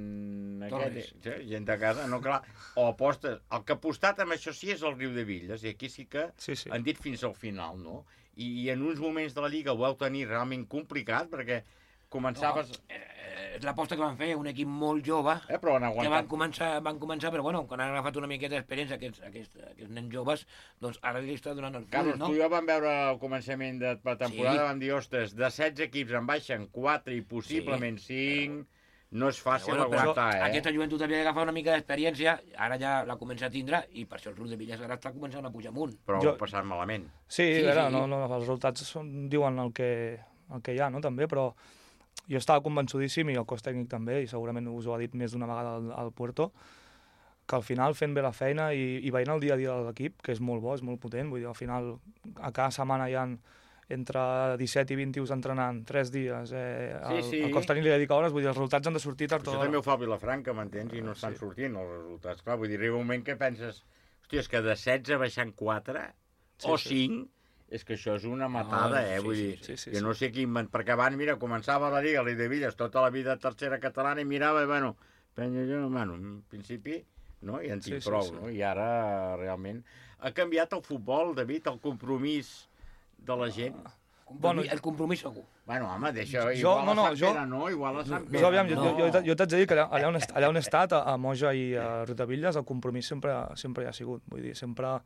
gent de casa, no, clar. O apostes... El que ha apostat amb això sí és el Riu de Villes, i aquí sí que han dit fins al final, no? I en uns moments de la Lliga ho vau tenir realment complicat, perquè començaves... És l'aposta que van fer, un equip molt jove, però que van començar, però bueno, quan han agafat una miqueta d'experiència aquests nens joves, doncs ara li està donant el Carlos, tu i jo vam veure al començament de la temporada, vam dir, ostres, de 16 equips en baixen 4 i possiblement 5, no és fàcil aguantar, Aquesta joventut havia d'agafar una mica d'experiència, ara ja la comença a tindre, i per això el Riu de Villas ara està començant a pujar amunt. Però ho passat malament. Sí, els resultats diuen el que hi ha, no, també, però jo estava convençudíssim, i el cos tècnic també, i segurament us ho ha dit més d'una vegada al Puerto, que al final fent bé la feina i veient el dia a dia de l'equip, que és molt bo, és molt potent, vull dir, al final a cada setmana hi ha entre 17 i 21 entrenant 3 dies, el cos tècnic li dedica hores, vull dir, els resultats han de sortir tard o d'hora. Això també ho fa Vilafranca, m'entens, i no estan sortint els resultats. Clar, vull dir, arriba un moment que penses, hòstia, és que de 16 baixant 4 o 5... És que això és una matada, vull dir, jo no sé qui perquè abans, mira, començava la Lliga, l'I de Villes, tota la vida tercera catalana, i mirava, i bueno, en principi, no, i en tinc prou, no? I ara, realment, ha canviat el futbol, David, el compromís de la gent. El compromís segur. Bueno, home, deixa, igual a Sant Pere, no? Igual a Sant Pere. Jo t'haig de dir que allà on he estat, a Moja i a Riudebitlles, el compromís sempre hi ha sigut, vull dir, sempre...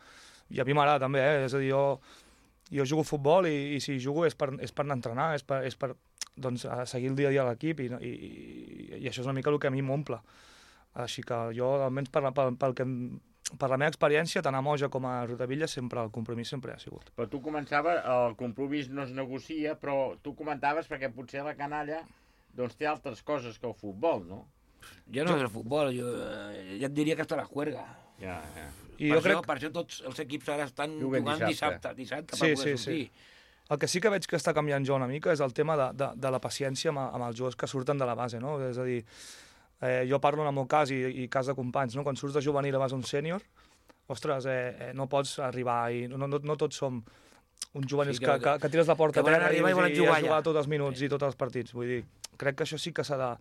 I a mi m'agrada també, és a dir, jo jugo a futbol i si jugo és per anar a entrenar, és per doncs, seguir el dia a dia a l'equip i això és una mica el que a mi m'omple. Així que jo, almenys per la meva experiència, tant a Moja com a Riudavella, sempre el compromís sempre ha sigut. Però tu començaves, el compromís no es negocia, però tu comentaves perquè potser la canalla doncs té altres coses que el futbol, no? Jo no és el futbol, jo ja et diria que està la juerga. Ja. Per això tots els equips ara estan jugant dissabte per poder sortir. El que sí que veig que està canviant jo una mica és el tema de la paciència amb els jugadors que surten de la base, no? És a dir, jo parlo en el meu cas i cas de companys, no? Quan surts de juvenil a vas un sènior, ostres, no pots arribar i no tots som uns juvenils que tires la porta a terra i has jugat tots els minuts i tots els partits. Vull dir, crec que això sí que s'ha de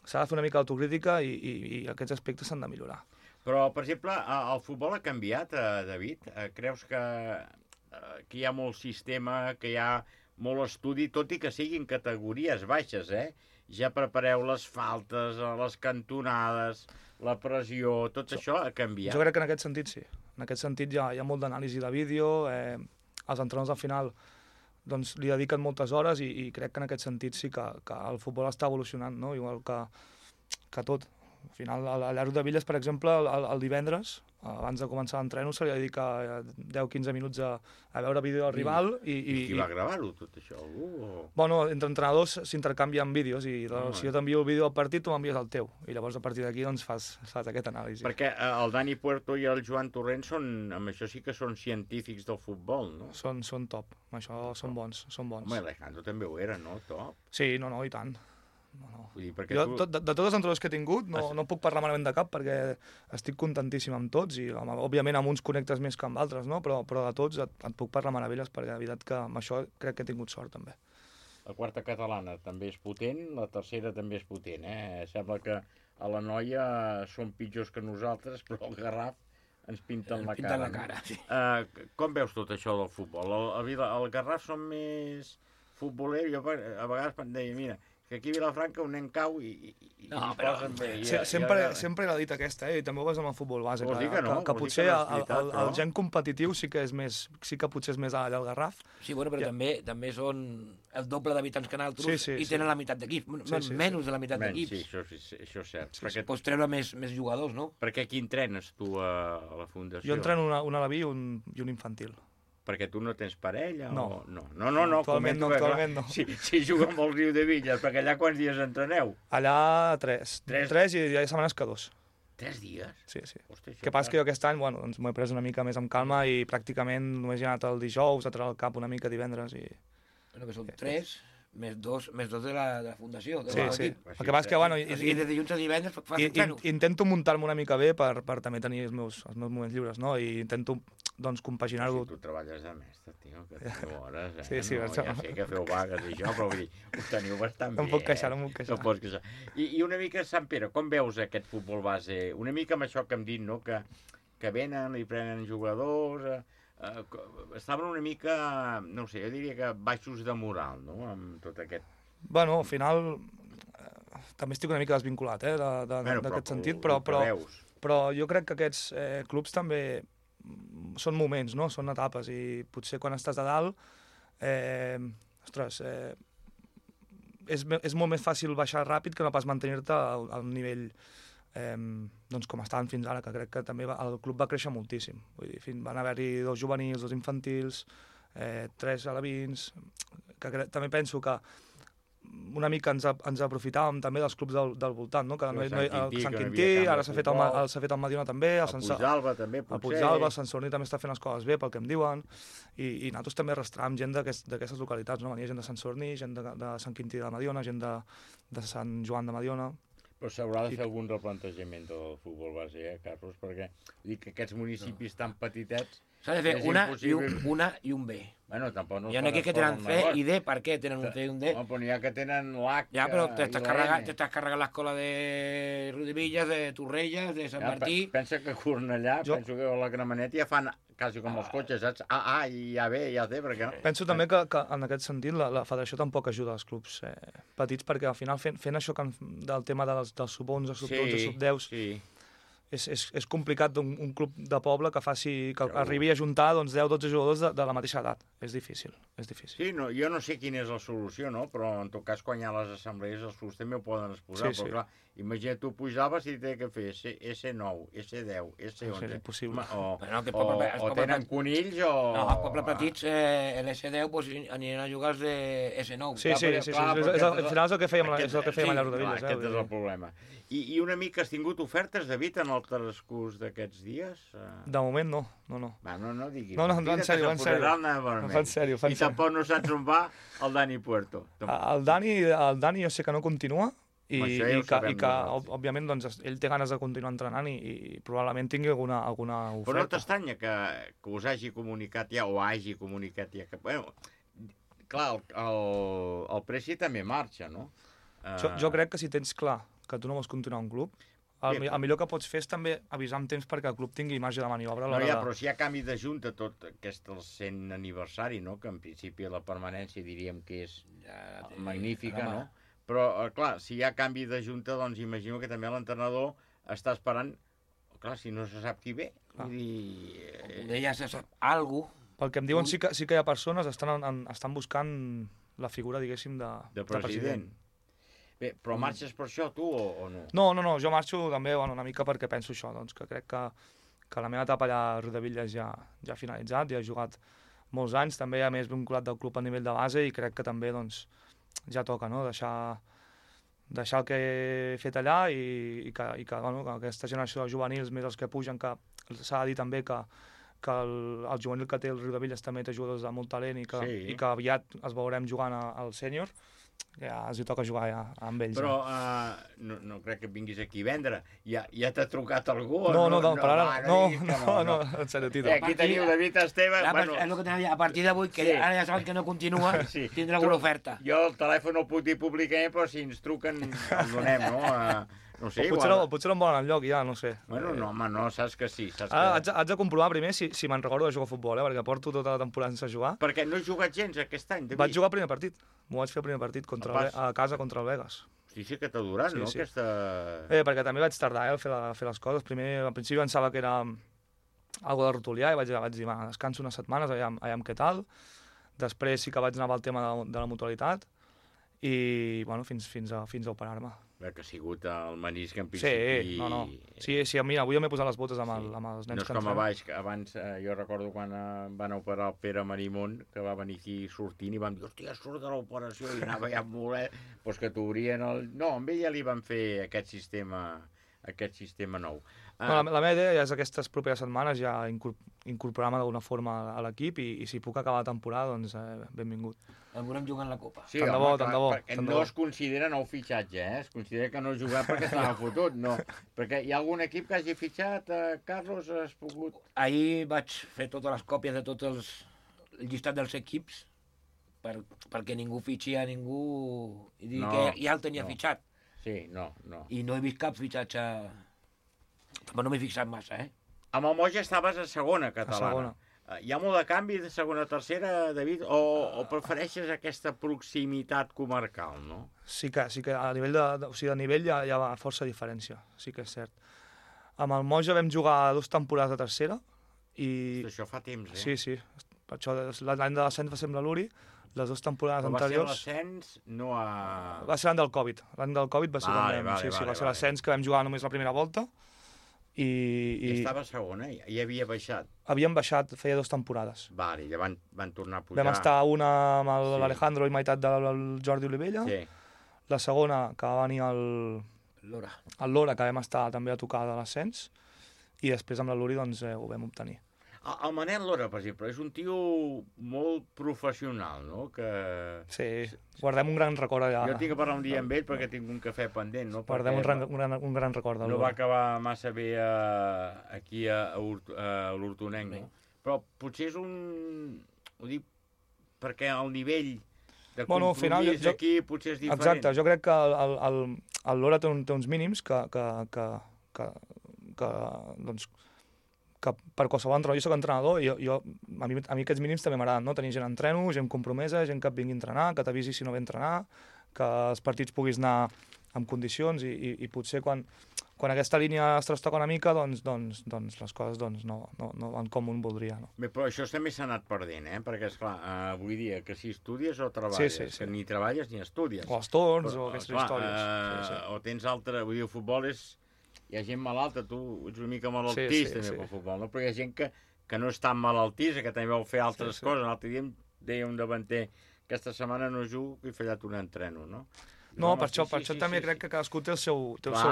fer una mica d'autocrítica i aquests aspectes s'han de millorar. Però, per exemple, el futbol ha canviat, David? Creus que hi ha molt sistema, que hi ha molt estudi, tot i que siguin categories baixes, Ja prepareu les faltes, les cantonades, la pressió, tot això ha canviat? Jo crec que en aquest sentit sí. En aquest sentit hi ha molt d'anàlisi de vídeo, els entrenadors al final doncs, li dediquen moltes hores i crec que en aquest sentit sí que el futbol està evolucionant, no? Igual que tot. Al final, a Riudebitlles, per exemple, el divendres, abans de començar l'entreno, se li dedica 10-15 minuts a veure vídeo del rival. I qui va gravar-ho, tot això? Algú? Bueno, entre entrenadors s'intercanvien vídeos i si jo t'envio el vídeo del partit, tu m'envies el teu. I llavors, a partir d'aquí, doncs, fas aquest anàlisi. Perquè el Dani Puerto i el Joan Torrent amb això sí que són científics del futbol, no? Són top, amb això són bons. Home, l'Alejandro també ho era, no? Top. Sí, no, i tant. Vull dir, jo, de tots els entrenadors que he tingut, no puc parlar malament de cap perquè estic contentíssim amb tots i, òbviament, amb uns connectes més que amb altres, no? Però de tots et puc parlar meravelles perquè, de veritat, que amb això crec que he tingut sort, també. La quarta catalana també és potent, la tercera també és potent, Sembla que a la Noia són pitjors que nosaltres, però el Garraf ens pinten la cara. Sí. Com veus tot això del futbol? El Garraf són més futbolers, jo a vegades em deia, mira, que aquí a Vilafranca un nen cau i posen bé. Sempre he dit aquesta, i també ho veus amb el futbol base, que potser el gen competitiu sí que potser és més allà al Garraf. Sí, bueno, però també són el doble d'habitants que nosaltres i tenen la meitat d'equips, menys de la meitat d'equips. Sí, això és cert. Pots treure més jugadors, no? Perquè qui entrenes tu a la fundació? Jo entreno un alaví i un infantil. Perquè tu no tens parella? No. Actualment no. Si juga amb el Riudebitlles, perquè allà quants dies entreneu? Allà 3 i hi ha setmanes que 2. 3 dies? Sí. Que passa que jo aquest any, doncs m'ho he pres una mica més amb calma i pràcticament només he anat el dijous, a treure el cap una mica divendres i... Bueno, que són 3... Més dos de la fundació. Sí. El que passa que, bueno... I de dilluns a divendres fas entrenos. Intento muntar-me una mica bé per també tenir els meus moments lliures, no? I intento, doncs, compaginar-ho. Si tu treballes de mestre, tio, que teniu hores, Sí, ja sé que feu vagues i això, però vull dir, ho teniu bastant bé. No em puc queixar. No pots queixar. I una mica, Sant Pere, com veus aquest futbol base? Una mica amb això que hem dit, no?, que venen i prenen jugadors... estaven una mica, no sé, jo diria que baixos de moral, no?, amb tot aquest... Bueno, al final també estic una mica desvinculat, d'aquest sentit, però jo crec que aquests clubs també són moments, no?, són etapes, i potser quan estàs a dalt, és molt més fàcil baixar ràpid que no pas mantenir-te al nivell doncs com estaven fins ara, que crec que també el club va créixer moltíssim. Vull dir, van haver-hi 2 juvenils, 2 infantils, 3 alevins, que també penso que una mica ens aprofitàvem també dels clubs del voltant, no? Que Sant Quintí, ara s'ha fet el Mediona també, el Puigdàlber també, potser. El Puigdàlber, el Sant Sadurní també està fent les coses bé, pel que em diuen, i nosaltres també arrastràvem gent d'aquestes localitats, no? Venia gent de Sant Sadurní, gent de Sant Quintí de la Mediona, gent de Sant Joan de Mediona. Però s'haurà de fer algun replantejament del futbol base, Carlos, perquè dic que aquests municipis tan petitets... S'ha de fer una i un B. Bueno, tampoc no... Hi ha aquí que tenen C i D, per què tenen un C i un D? No, però n'hi ha que tenen l'H ja, però t'estàs carregant l'escola de Riudebitlles, de Torrelles, de Sant Martí... Pensa que a Cornellà, penso que a la Gramenet ja fan quasi com els cotxes, saps? A i A, B i A, C, perquè... Penso també que en aquest sentit la federació tampoc ajuda els clubs petits, perquè al final fent això del tema dels sub-11, sub-12, sub-10... és complicat un club de poble que arribi a juntar 10-12 jugadors de la mateixa edat. És difícil. Sí, jo no sé quina és la solució, no? Però en tot cas, quan hi ha les assemblees, els clubs també ho poden exposar. Però clar, imagina, tu pujaves i t'he de fer S9, S10, S11... És impossible. O tenen conills o... No, els pobles petits, l'S10 aniran a jugar els de S9. Sí, al final és el que fèiem allà a Rodavilles. Aquest és el problema. I una mica has tingut ofertes, David, en el transcurs d'aquests dies? De moment no. Va, no diguis. No, en sèrio. I tampoc no saps on va el Dani Puerto. El Dani jo sé que no continua i que òbviament doncs, ell té ganes de continuar entrenant i probablement tingui alguna oferta. Però no t'estranya que us hagi comunicat ja o hagi comunicat ja que... Bueno, clar, el Preci també marxa, no? Jo crec que si tens clar que tu no vols continuar un club, el millor que pots fer és també avisar amb temps perquè el club tingui marge de maniobra. Però si hi ha canvi de junta tot aquest el 100 aniversari, no? Que en principi la permanència diríem que és magnífica, no? Però, clar, si hi ha canvi de junta, doncs imagino que també l'entrenador està esperant, clar, si no se sap qui ve. Ja se sap algú. Pel que em diuen sí que hi ha persones que estan buscant la figura, diguéssim, de president. Bé, però marxes per això, tu, o no? No, jo marxo també una mica perquè penso això, doncs, que crec que la meva etapa allà a Rodavilles ja ha finalitzat, ja he jugat molts anys, també a més vinculat del club a nivell de base i crec que també doncs, ja toca, no? Deixar el que he fet allà i que aquesta generació de juvenils, més els que pugen, que s'ha de dir també que el juvenil que té el Rodavilles també té jugadors de molt talent i que aviat els veurem jugant al sènior. Ja els hi toca jugar ja amb ells. Però no crec que vinguis aquí a vendre. Ja t'ha trucat algú? No, per ara no, en sèrio, Tito. Aquí teniu David Esteve. És el que tenia, a partir d'avui, que ara ja saben que no continua, tindrà alguna oferta. Jo el telèfon no el puc dir públicament, però si ens truquen el donem, no? No sé, potser no em volen enlloc, ja, no sé. Bueno, no, home, no, saps que sí. Haig de comprovar primer si me'n recordo de jugar a futbol, perquè porto tota la temporada sense jugar. Perquè no he jugat gens aquest any, David. Vaig jugar el primer partit. M'ho vaig fer el primer partit a casa contra el Vegas. Sí que t'ha durat, no? Perquè també vaig tardar a fer les coses. Primer, al principi pensava que era algo de rotulià i vaig dir, descanso unes setmanes, aviam què tal. Després sí que vaig anar amb el tema de la mutualitat i, bueno, fins a operar-me. Que ha sigut el menisc en principi... Sí, mira, avui jo m'he posat les botes amb els nens que no és com abans, jo recordo quan van operar el Pere Marimón, que va venir aquí sortint i vam dir, hòstia, surt de l'operació, i anava ja molt... Doncs que t'obrien el... No, amb ell ja li van fer aquest sistema nou. La meva idea és aquestes properes setmanes ja incorporar-me d'alguna forma a l'equip i si puc acabar la temporada, doncs benvingut. El veurem jugant la Copa. Sí, tant de bo. No es considera nou fitxatge, es considera que no ha jugat perquè estava fotut, no. Perquè hi ha algun equip que hagi fitxat, Carlos, has pogut... Ahir vaig fer totes les còpies de tot el llistat dels equips perquè ningú fitxi a ningú i dir que ja el tenia fitxat. Sí, no. I no he vist cap fitxatge... Però no m'he fixat massa, Amb el Moja estaves a segona catalana. Hi ha molt de canvi de segona a tercera, David, o prefereixes aquesta proximitat comarcal, no? Sí que a nivell de nivell hi ha força diferència, sí que és cert. Amb el Moja vam jugar 2 temporades de tercera i... Això fa temps, Sí. Per això l'any de l'ascens va ser amb la Luri, les 2 temporades anteriors... Va ser l'ascens, no a... Va ser l'any del Covid. L'any del Covid va ser va ser l'ascens que vam jugar només la primera volta. I estava segona, i havia baixat. Havíem baixat, feia 2 temporades. Vale, ja van tornar a pujar. Vam estar una amb l'Alejandro i meitat del Jordi Olivella. Sí. La segona, que va venir el Lora, que vam estar també a tocar de l'ascens. I després amb la Luri doncs, ho vam obtenir. El Manel Lora, per exemple, és un tio molt professional, no? Sí, guardem un gran record allà. Jo tinc que parlar un dia amb ell perquè tinc un cafè pendent, no? Guardem un gran record del Lora. No va acabar massa bé aquí a l'Hortonenc, no? Però potser és un... Ho dic perquè el nivell de compromís aquí potser és diferent. Exacte, jo crec que el Lora té uns mínims que per qualsevol entrenador, jo soc entrenador i a mi aquests mínims també m'agraden, no? Tenir gent a entreno, gent compromesa, gent que et vingui a entrenar, que t'avisi si no ve a entrenar, que els partits puguis anar amb condicions i potser quan quan aquesta línia es trastoca una mica, doncs les coses no van com un voldria. No? Bé, però això també s'ha anat perdent, perquè, esclar, avui dia, que si estudies o treballes, que ni treballes ni estudies. O els torns, o aquestes històries. O tens altre... Vull dir, el futbol és... Hi ha gent malalta, tu ets una mica malaltís, també, pel futbol, no? Però hi ha gent que no és tan malaltís, que també vol fer altres coses. L'altre dia em deia un davanter, aquesta setmana no jugo, que he fallat un entreno, no? No, per això també crec que cadascú té el seu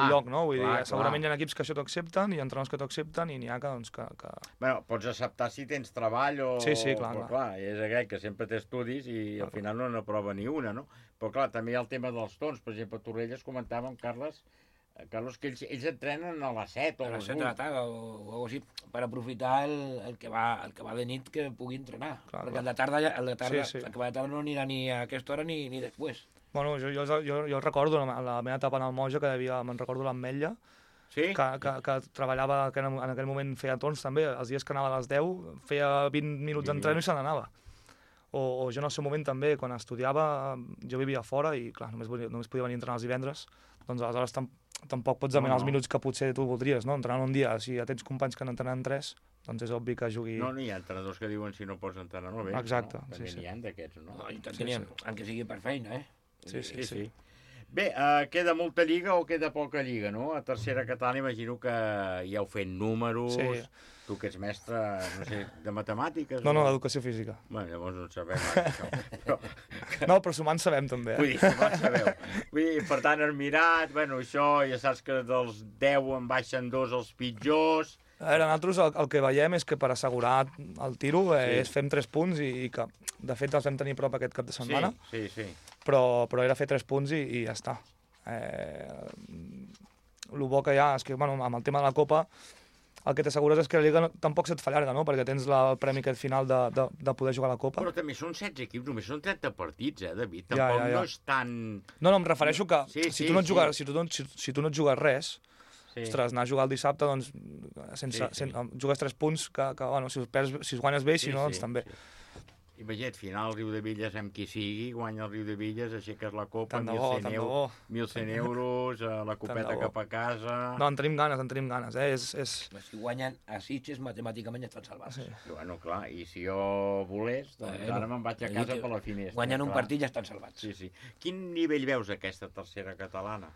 lloc, no? Vull dir, segurament hi ha equips que això t'ho accepten, hi ha entrenadors que t'ho accepten, i n'hi ha que... Bueno, pots acceptar si tens treball o... Sí, clar. És aquell que sempre té estudis i al final no n'aprova ni una, no? Però clar, també hi ha el tema dels torns. Per exemple, a Torrelles comentàvem, Carlos, que ells entrenen a les 7 o a les 8. A les 7 de la tarda o alguna cosa així, per aprofitar el que va de nit que pugui entrenar. Perquè el de tarda el que va de tarda no anirà ni a aquesta hora ni després. Bueno, jo recordo la meva etapa en el Moja, que me'n recordo l'Ametlla, que treballava, que en aquell moment feia torns també, els dies que anava a les 10, feia 20 minuts d'entreno i se n'anava. O jo en el seu moment també, quan estudiava, jo vivia fora i clar, només podia venir a entrenar els divendres, doncs aleshores tampoc pots demanar els minuts que potser tu voldries, no? Entrenant un dia, si ja tens companys que n'entrenen 3, doncs és obvi que jugui... No, hi ha entrenadors que diuen si no pots entrenar no vens. Exacte, no? També n'hi ha d'aquests, no? I tant n'hi ha, encara sigui per feina, Sí. Bé, queda molta lliga o queda poca lliga, no? A tercera catalana imagino que ja heu fet números, tu que ets mestre, no sé, de matemàtiques... No, d'educació física. Bueno, llavors no en sabem això. No, però sumant sabem també. Vull dir, sumant sabeu. Vull dir, per tant, has mirat, bueno, això, ja saps que dels 10 en baixen 2 els pitjors... A veure, nosaltres el que veiem és que per assegurar el tiro fem 3 punts i que, de fet, els vam tenir prop aquest cap de setmana. Sí. Però era fer 3 punts i ja està. El bo que hi ha és que, bueno, amb el tema de la Copa, el que t'assegures és que la Lliga tampoc se't fa llarga, no? Perquè tens el premi aquest final de poder jugar a la Copa. Però també són 16 equips, només són 30 partits, David? Tampoc no és tan... No, em refereixo que si tu no et jugues res... Ostres, anar a jugar el dissabte, doncs, jugues 3 punts, que bueno, si guanyes bé i si no, doncs també. Imagina't, final, el Riu de Villes, amb qui sigui, guanya el Riu de Villes, aixeques la copa, 1.100 euros, la copeta cap a casa... No, en tenim ganes, Si guanyen a Sitges, matemàticament ja estan salvats. Bueno, clar, i si jo volés, doncs ara me'n vaig a casa per la finestra. Guanyen un partit ja estan salvats. Sí. Quin nivell veus aquesta tercera catalana?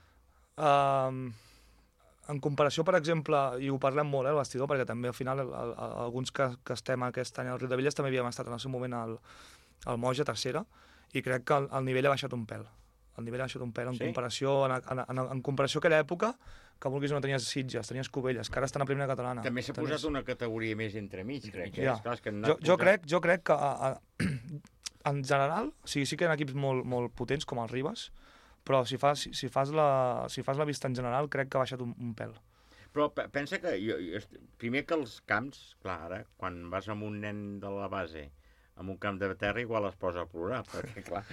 En comparació, per exemple, i ho parlem molt, al vestidor, perquè també al final alguns que estem aquest any al Riu de Villes també havíem estat en el seu moment al Moja, tercera, i crec que el nivell ha baixat un pèl. El nivell ha baixat un pèl en comparació a aquella època, que vulguis no tenies Sitges, tenies Cubelles, que ara estan a primera catalana. També s'ha posat una categoria més entremig, crec. Jo crec que en general, sí que hi ha equips molt potents com els Ribes, però si fas la vista en general, crec que ha baixat un pèl. Però pensa que, primer que els camps, clar, ara, quan vas amb un nen de la base, amb un camp de terra, igual es posa a plorar, perquè, clar,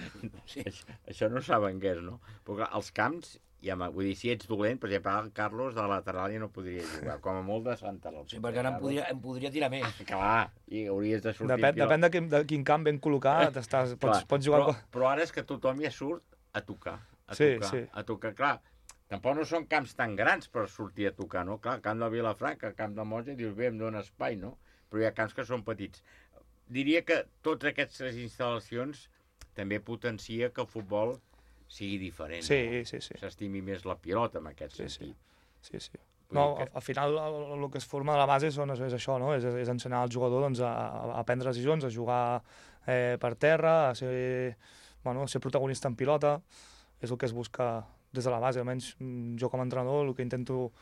això no saben què és, no? Però, clar, els camps, vull dir, si ets dolent, per exemple, el Carlos de la lateral ja no podria jugar, com a molt de Santa Rosa. Sí, perquè ara em podria tirar més. Clar, i hauries de sortir... Depèn de quin camp ben col·locat pots jugar... Però ara és que tothom ja surt a tocar. A tocar, clar, tampoc no són camps tan grans per sortir a tocar, no? Clar, camp de Vilafranca, camp de Moja, dius, bé, em dóna espai, no? Però hi ha camps que són petits. Diria que totes aquestes instal·lacions també potencia que el futbol sigui diferent, no? S'estimi més la pilota, en aquest sentit. Sí. No, al final el que es forma de la base és això, no? És ensenyar al jugador a prendre decisions, a jugar per terra, a ser protagonista en pilota. És el que es busca des de la base, almenys jo com a entrenador el que intento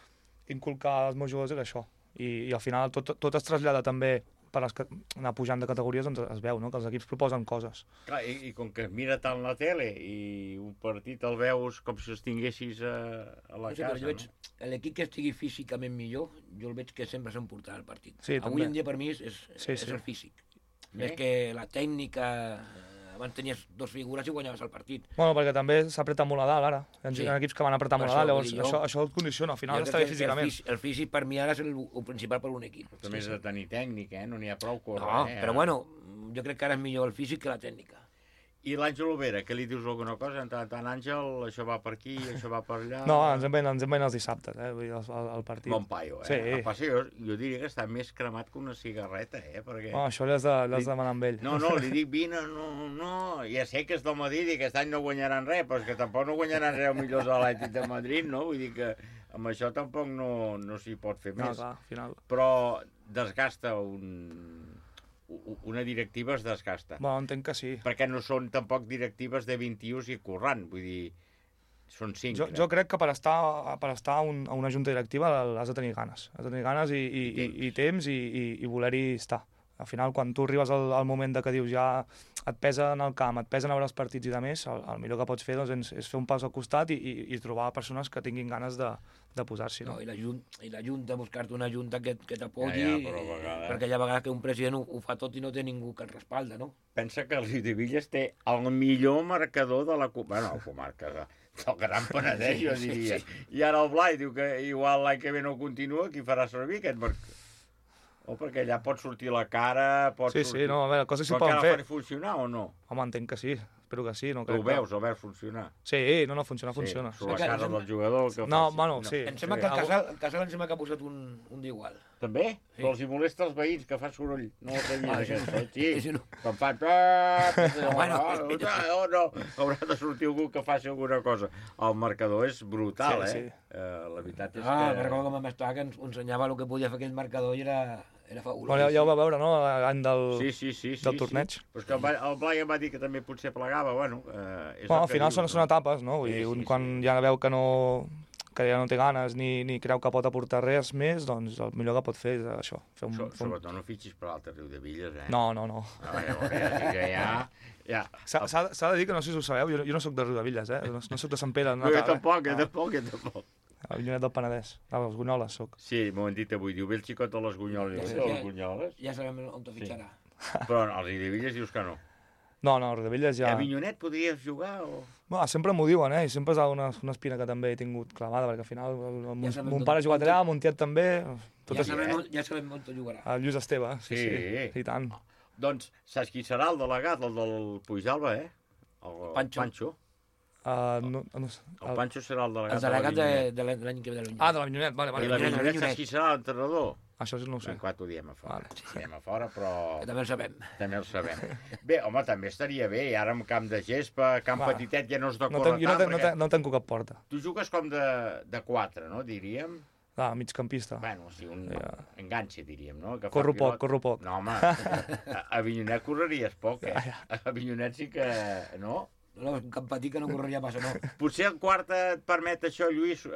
inculcar als meus jugadors és això, i al final tot es trasllada també per anar pujant de categories, doncs es veu, no? Que els equips proposen coses. Clar, i com que es mira tant la tele i un partit el veus com si els tinguessis a la casa, jo veig, l'equip que estigui físicament millor, jo el veig que sempre s'emportarà el partit. Sí, avui en dia per mi és el físic, més que la tècnica. Abans tenies 2 figures i guanyaves el partit. Bueno, perquè també s'apreta molt a dalt, ara. Hi ha equips que van apretar molt a dalt, llavors això et condiciona, al final està bé físicament. El físic per mi ara és el principal per un equip. També has de tenir tècnica, no n'hi ha prou córrer. No, però bueno, jo crec que ara és millor el físic que la tècnica. I l'Àngel Overa, què li dius alguna cosa? En tant, Àngel, això va per aquí, això va per allà... No, ens en veien els dissabtes, vull dir, el partit. Bon paio, Sí. El passe jo diria que està més cremat que una cigarreta, perquè... Oh, això l'has de demanar amb ell. No, li dic, vine, no, ja sé que és del Madrid i que aquest any no guanyaran res, però és que tampoc no guanyaran res els millors de l'Atlètic de Madrid, no? Vull dir que amb això tampoc no s'hi pot fer més. No, clar, al final. Però desgasta una directiva es desgasta. Bueno, entenc que sí. Perquè no són tampoc directives de 21 i currant, vull dir, són 5. Jo crec que per estar a una junta directiva has de tenir ganes. Has de tenir ganes i temps i voler-hi estar. Al final, quan tu arribes al moment de que dius ja et pesa en el camp, et pesen a veure els partits i de més, el millor que pots fer és fer un pas al costat i trobar persones que tinguin ganes de posar-s'hi. No? I la Junta, buscar-te una Junta que t'apoyi, perquè hi ha vegades que un president ho fa tot i no té ningú que el respalda, no? Pensa que el Riudebitlles té el millor marcador de la comarca, del Gran Penedès, jo diria. I ara el Blai diu que igual l'any que ve no continua, qui farà servir aquest marcador? Perquè allà pot sortir la cara, pot sortir... Sí, no, a veure, coses s'hi poden fer. Però que la fan funcionar o no? Home, entenc que sí, espero que sí. Tu ho veus, el veus funcionar? Sí, no, funciona. Sobre la cara del jugador que no, bueno, sí. Em sembla que el Casal em sembla que ha posat un d'igual. També? Sí. Però els hi molesta els veïns, que fa soroll. No ho tenia aquest, sí. Quan fa... No, haurà de sortir algú que faci alguna cosa. El marcador és brutal, La veritat és que... Recordo com vam estar, que ens ensenyava el que podia fer aquell marcador i era fabulós. Bueno, ja ho va veure, no?, l'any del torneig. Però és que el Blai em va dir que també potser plegava, al final són etapes, no? Vull dir, quan ja veu que ja no té ganes ni creu que pot aportar res més, doncs el millor que pot fer és això. Sobretot no fitxis per l'altre Riudebitlles, No. S'ha de dir que no sé si ho sabeu, jo no soc de Riudebitlles, no soc de Sant Pere. No, jo tampoc. El Llunet del Penedès, els Gunyoles soc. Sí, m'ho han dit avui, diu, ve el xicot de les Gunyoles. Ja sabem on te fitxarà. Però als Riudebitlles dius que no. No, Riudebitlles ja... A Avinyonet podries jugar o...? Sempre m'ho diuen, i sempre és una espina que també he tingut clavada, perquè al final mon pare ha jugat allà, mon tiet també... Ja sabem on te jugarà. El Lluís Esteve, sí, i tant. Doncs saps qui serà el delegat, el del Puigdàlber, El Pancho. El Pancho serà el delegat. El delegat de l'any que ve de l'Avinyonet. De l'Avinyonet, vale. I l'Avinyonet saps qui serà l'entrenador? Això no ho sé. Ho diem a fora. Diem a fora, però... També el sabem. També el sabem. Bé, home, també estaria bé. I ara amb camp de gespa, camp petitet, ja no és de córrer tant. No tanco cap porta. Tu jugues com de 4, no, diríem? Migcampista. Bueno, sí, un enganxe, diríem, no? Corro poc. No, home, a Avinyonet correries poc, A Avinyonet sí que... No? No, un camp petit que no correria massa, no. Potser el quart et permet això, Lluís,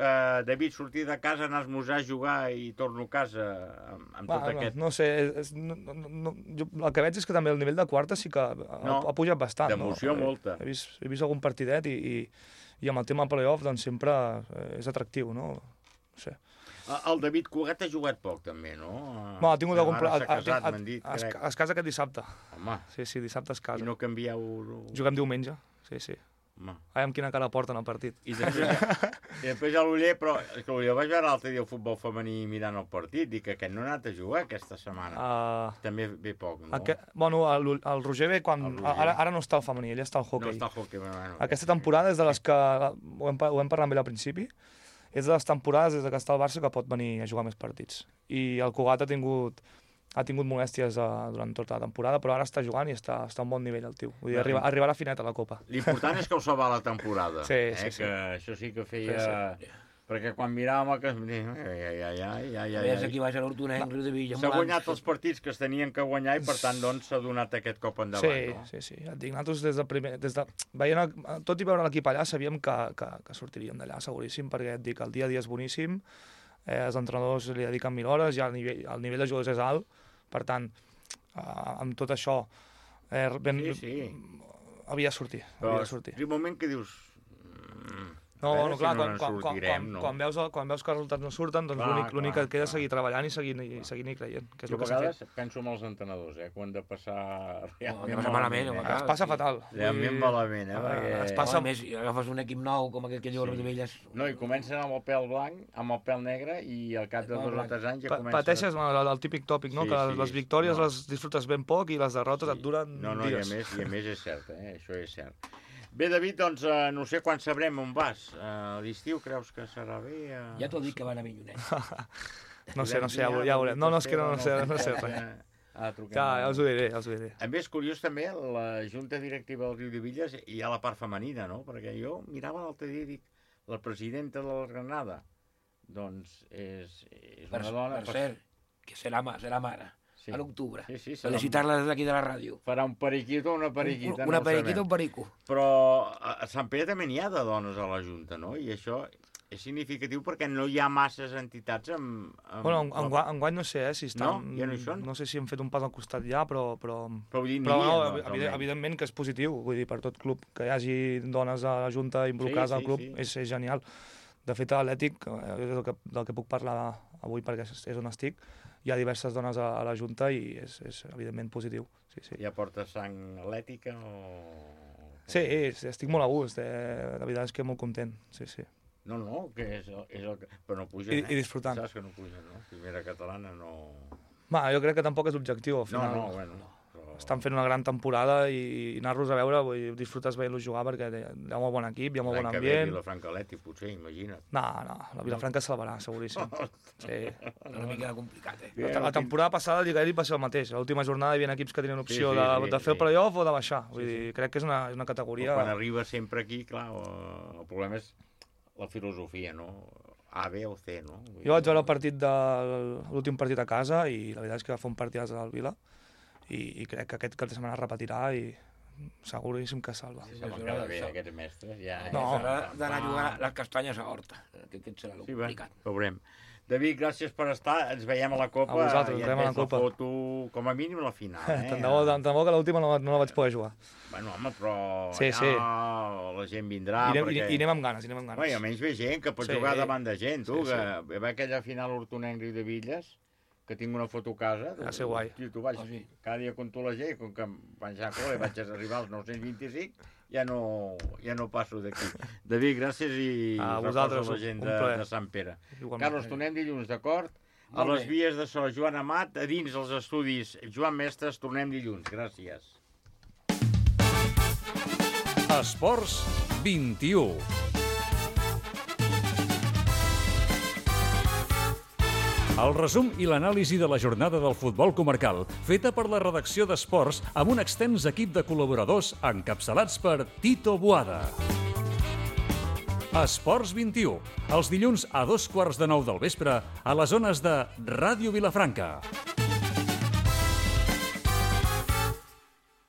David, sortir de casa, anar a esmorzar, jugar i torno a casa amb tot aquest... No sé, jo el que veig és que també el nivell de quarta sí que ha pujat bastant. D'emoció molta. He vist algun partidet i amb el tema playoff doncs sempre és atractiu, no? No sé. El David Cugat ha jugat poc, també, no? Ha tingut algun... Ara s'ha casat, m'han dit, crec. Es casa aquest dissabte. Home. Sí, dissabte es casa. I no canvieu... Juguem diumenge, sí. Home. Amb quina cara porten al partit. I després a l'Uller, però és que l'Uller vaig veure l'altre dia el futbol femení mirant el partit, dic que aquest no ha anat a jugar aquesta setmana. També ve poc, no? Bueno, el Roger ve quan... Ara no està al femení, ell està al hoquei. No està al hoquei, bueno. Aquesta temporada és de les que... Ho hem parlat amb ell al principi. És de les temporades des que està al Barça que pot venir a jugar més partits. I el Cugat ha tingut molèsties durant tota la temporada, però ara està jugant i està a un bon nivell el tio. Vull dir, arribarà finet a la Copa. L'important és que ho salva la temporada. Sí. Que això sí que feia... Sí. Perquè quan miràvem el que... Veies aquí baix a l'Hortonenc, Riudebitlles... S'ha guanyat els partits que es tenien que guanyar i per tant doncs s'ha donat aquest cop endavant. Sí. Et dic, nosaltres tot i veure l'equip allà sabíem que sortiríem d'allà seguríssim, perquè et dic, el dia a dia és boníssim, els entrenadors li dediquen 1000 hores, ja el nivell de jugadors és alt, per tant, amb tot això havia de sortir. Però el moment que dius... No, clar, quan veus que els resultats no surten, doncs l'únic que et queda és seguir treballant i seguir-hi creient. Jo a vegades penso en els entrenadors, que han de passar realment malament. Es passa fatal. Realment malament, Es passa més, agafes un equip nou com aquell que diu Rodovelles. No, i comencen amb el pèl blanc, amb el pèl negre, i al cap de 2 o 3 anys ja comença... Pateixes el típic tòpic, no? Que les victòries les disfrutes ben poc i les derrotes et duren dies. I a més és cert, això és cert. Bé, David, doncs no sé quan sabrem on vas. A l'estiu creus que serà bé? Ja t'ho dic que van a Millonet. No sé, ja veurem. No, és que no sé res. Ja els ho diré. A més, curiós també, la Junta Directiva del Riu de Villas hi ha la part femenina, no? Perquè jo mirava l'altre dia i dic, la presidenta de la Granada, doncs és una dona... Per cert, que serà mare. A l'octubre. Felicitar-la des d'aquí de la ràdio. Farà un periquito o una periquita. Una periquita o un perico. Però a Sant Pere també n'hi ha de dones a la Junta, no? I això és significatiu perquè no hi ha masses entitats amb... Bueno, enguany no sé, si estan... No? Ja no hi són? No sé si han fet un pas al costat ja, però evidentment que és positiu. Vull dir, per tot club que hi hagi dones a la Junta involucrades al club és genial. De fet, a l'Atlètic, del que puc parlar avui perquè és on estic, hi ha diverses dones a la Junta i és evidentment positiu. Ja portes sang atlètica o...? Sí, estic molt a gust, la veritat és que molt content, sí. No, que és el que... Però no pugen, I disfrutant. Saps que no pugen, no? Primera catalana no... Jo crec que tampoc és l'objectiu, al final. Bueno... Estan fent una gran temporada i anar-los a veure, disfrutes veient-los jugar perquè hi ha molt bon equip, hi ha molt bon ambient. L'any que ve Vilafranca Atlètic, potser, imagina't. No, la Vilafranca salvarà, seguríssim. Sí. Una mica complicat, La temporada passada el Lliga Elite va ser el mateix. A l'última jornada hi havia equips que tenien opció de fer el playoff o de baixar. Vull dir, crec que és una categoria... Quan arriba sempre aquí, clar, el problema és la filosofia, no? A, B o C, no? Jo vaig veure l'últim partit a casa i la veritat és que va fer un partidàs al Vila i crec que aquest cap de setmana repetirà i seguríssim que salva. Cada bé, aquests mestres, ja... D'anar a jugar les castanyes a Horta, que aquest serà el complicat. Veurem. David, gràcies per estar, ens veiem a la Copa. A vosaltres, ens veiem a la Copa. I et foto, com a mínim, la final. Tant de bo que l'última no la vaig poder jugar. Bueno, home, però sí. La gent vindrà. I anem amb ganes, Bé, almenys ve gent que pot jugar davant de gent, tu, que va aquella final Hortonenc-Riu de Villas, que tinc una foto a casa. Va ser guai. Tu vaig cada dia conto la gent, com que vaig arribar als 925, ja no passo d'aquí. David, gràcies i vosaltres, la gent de Sant Pere. Carlos, tornem dilluns, d'acord? A les vies de so, Joan Amat, a dins els estudis Joan Mestres, tornem dilluns. Gràcies. Esports 21. El resum i l'anàlisi de la jornada del futbol comarcal, feta per la redacció d'Esports amb un extens equip de col·laboradors encapçalats per Tito Boada. Esports 21, els dilluns a 2:15 del vespre a les zones de Ràdio Vilafranca.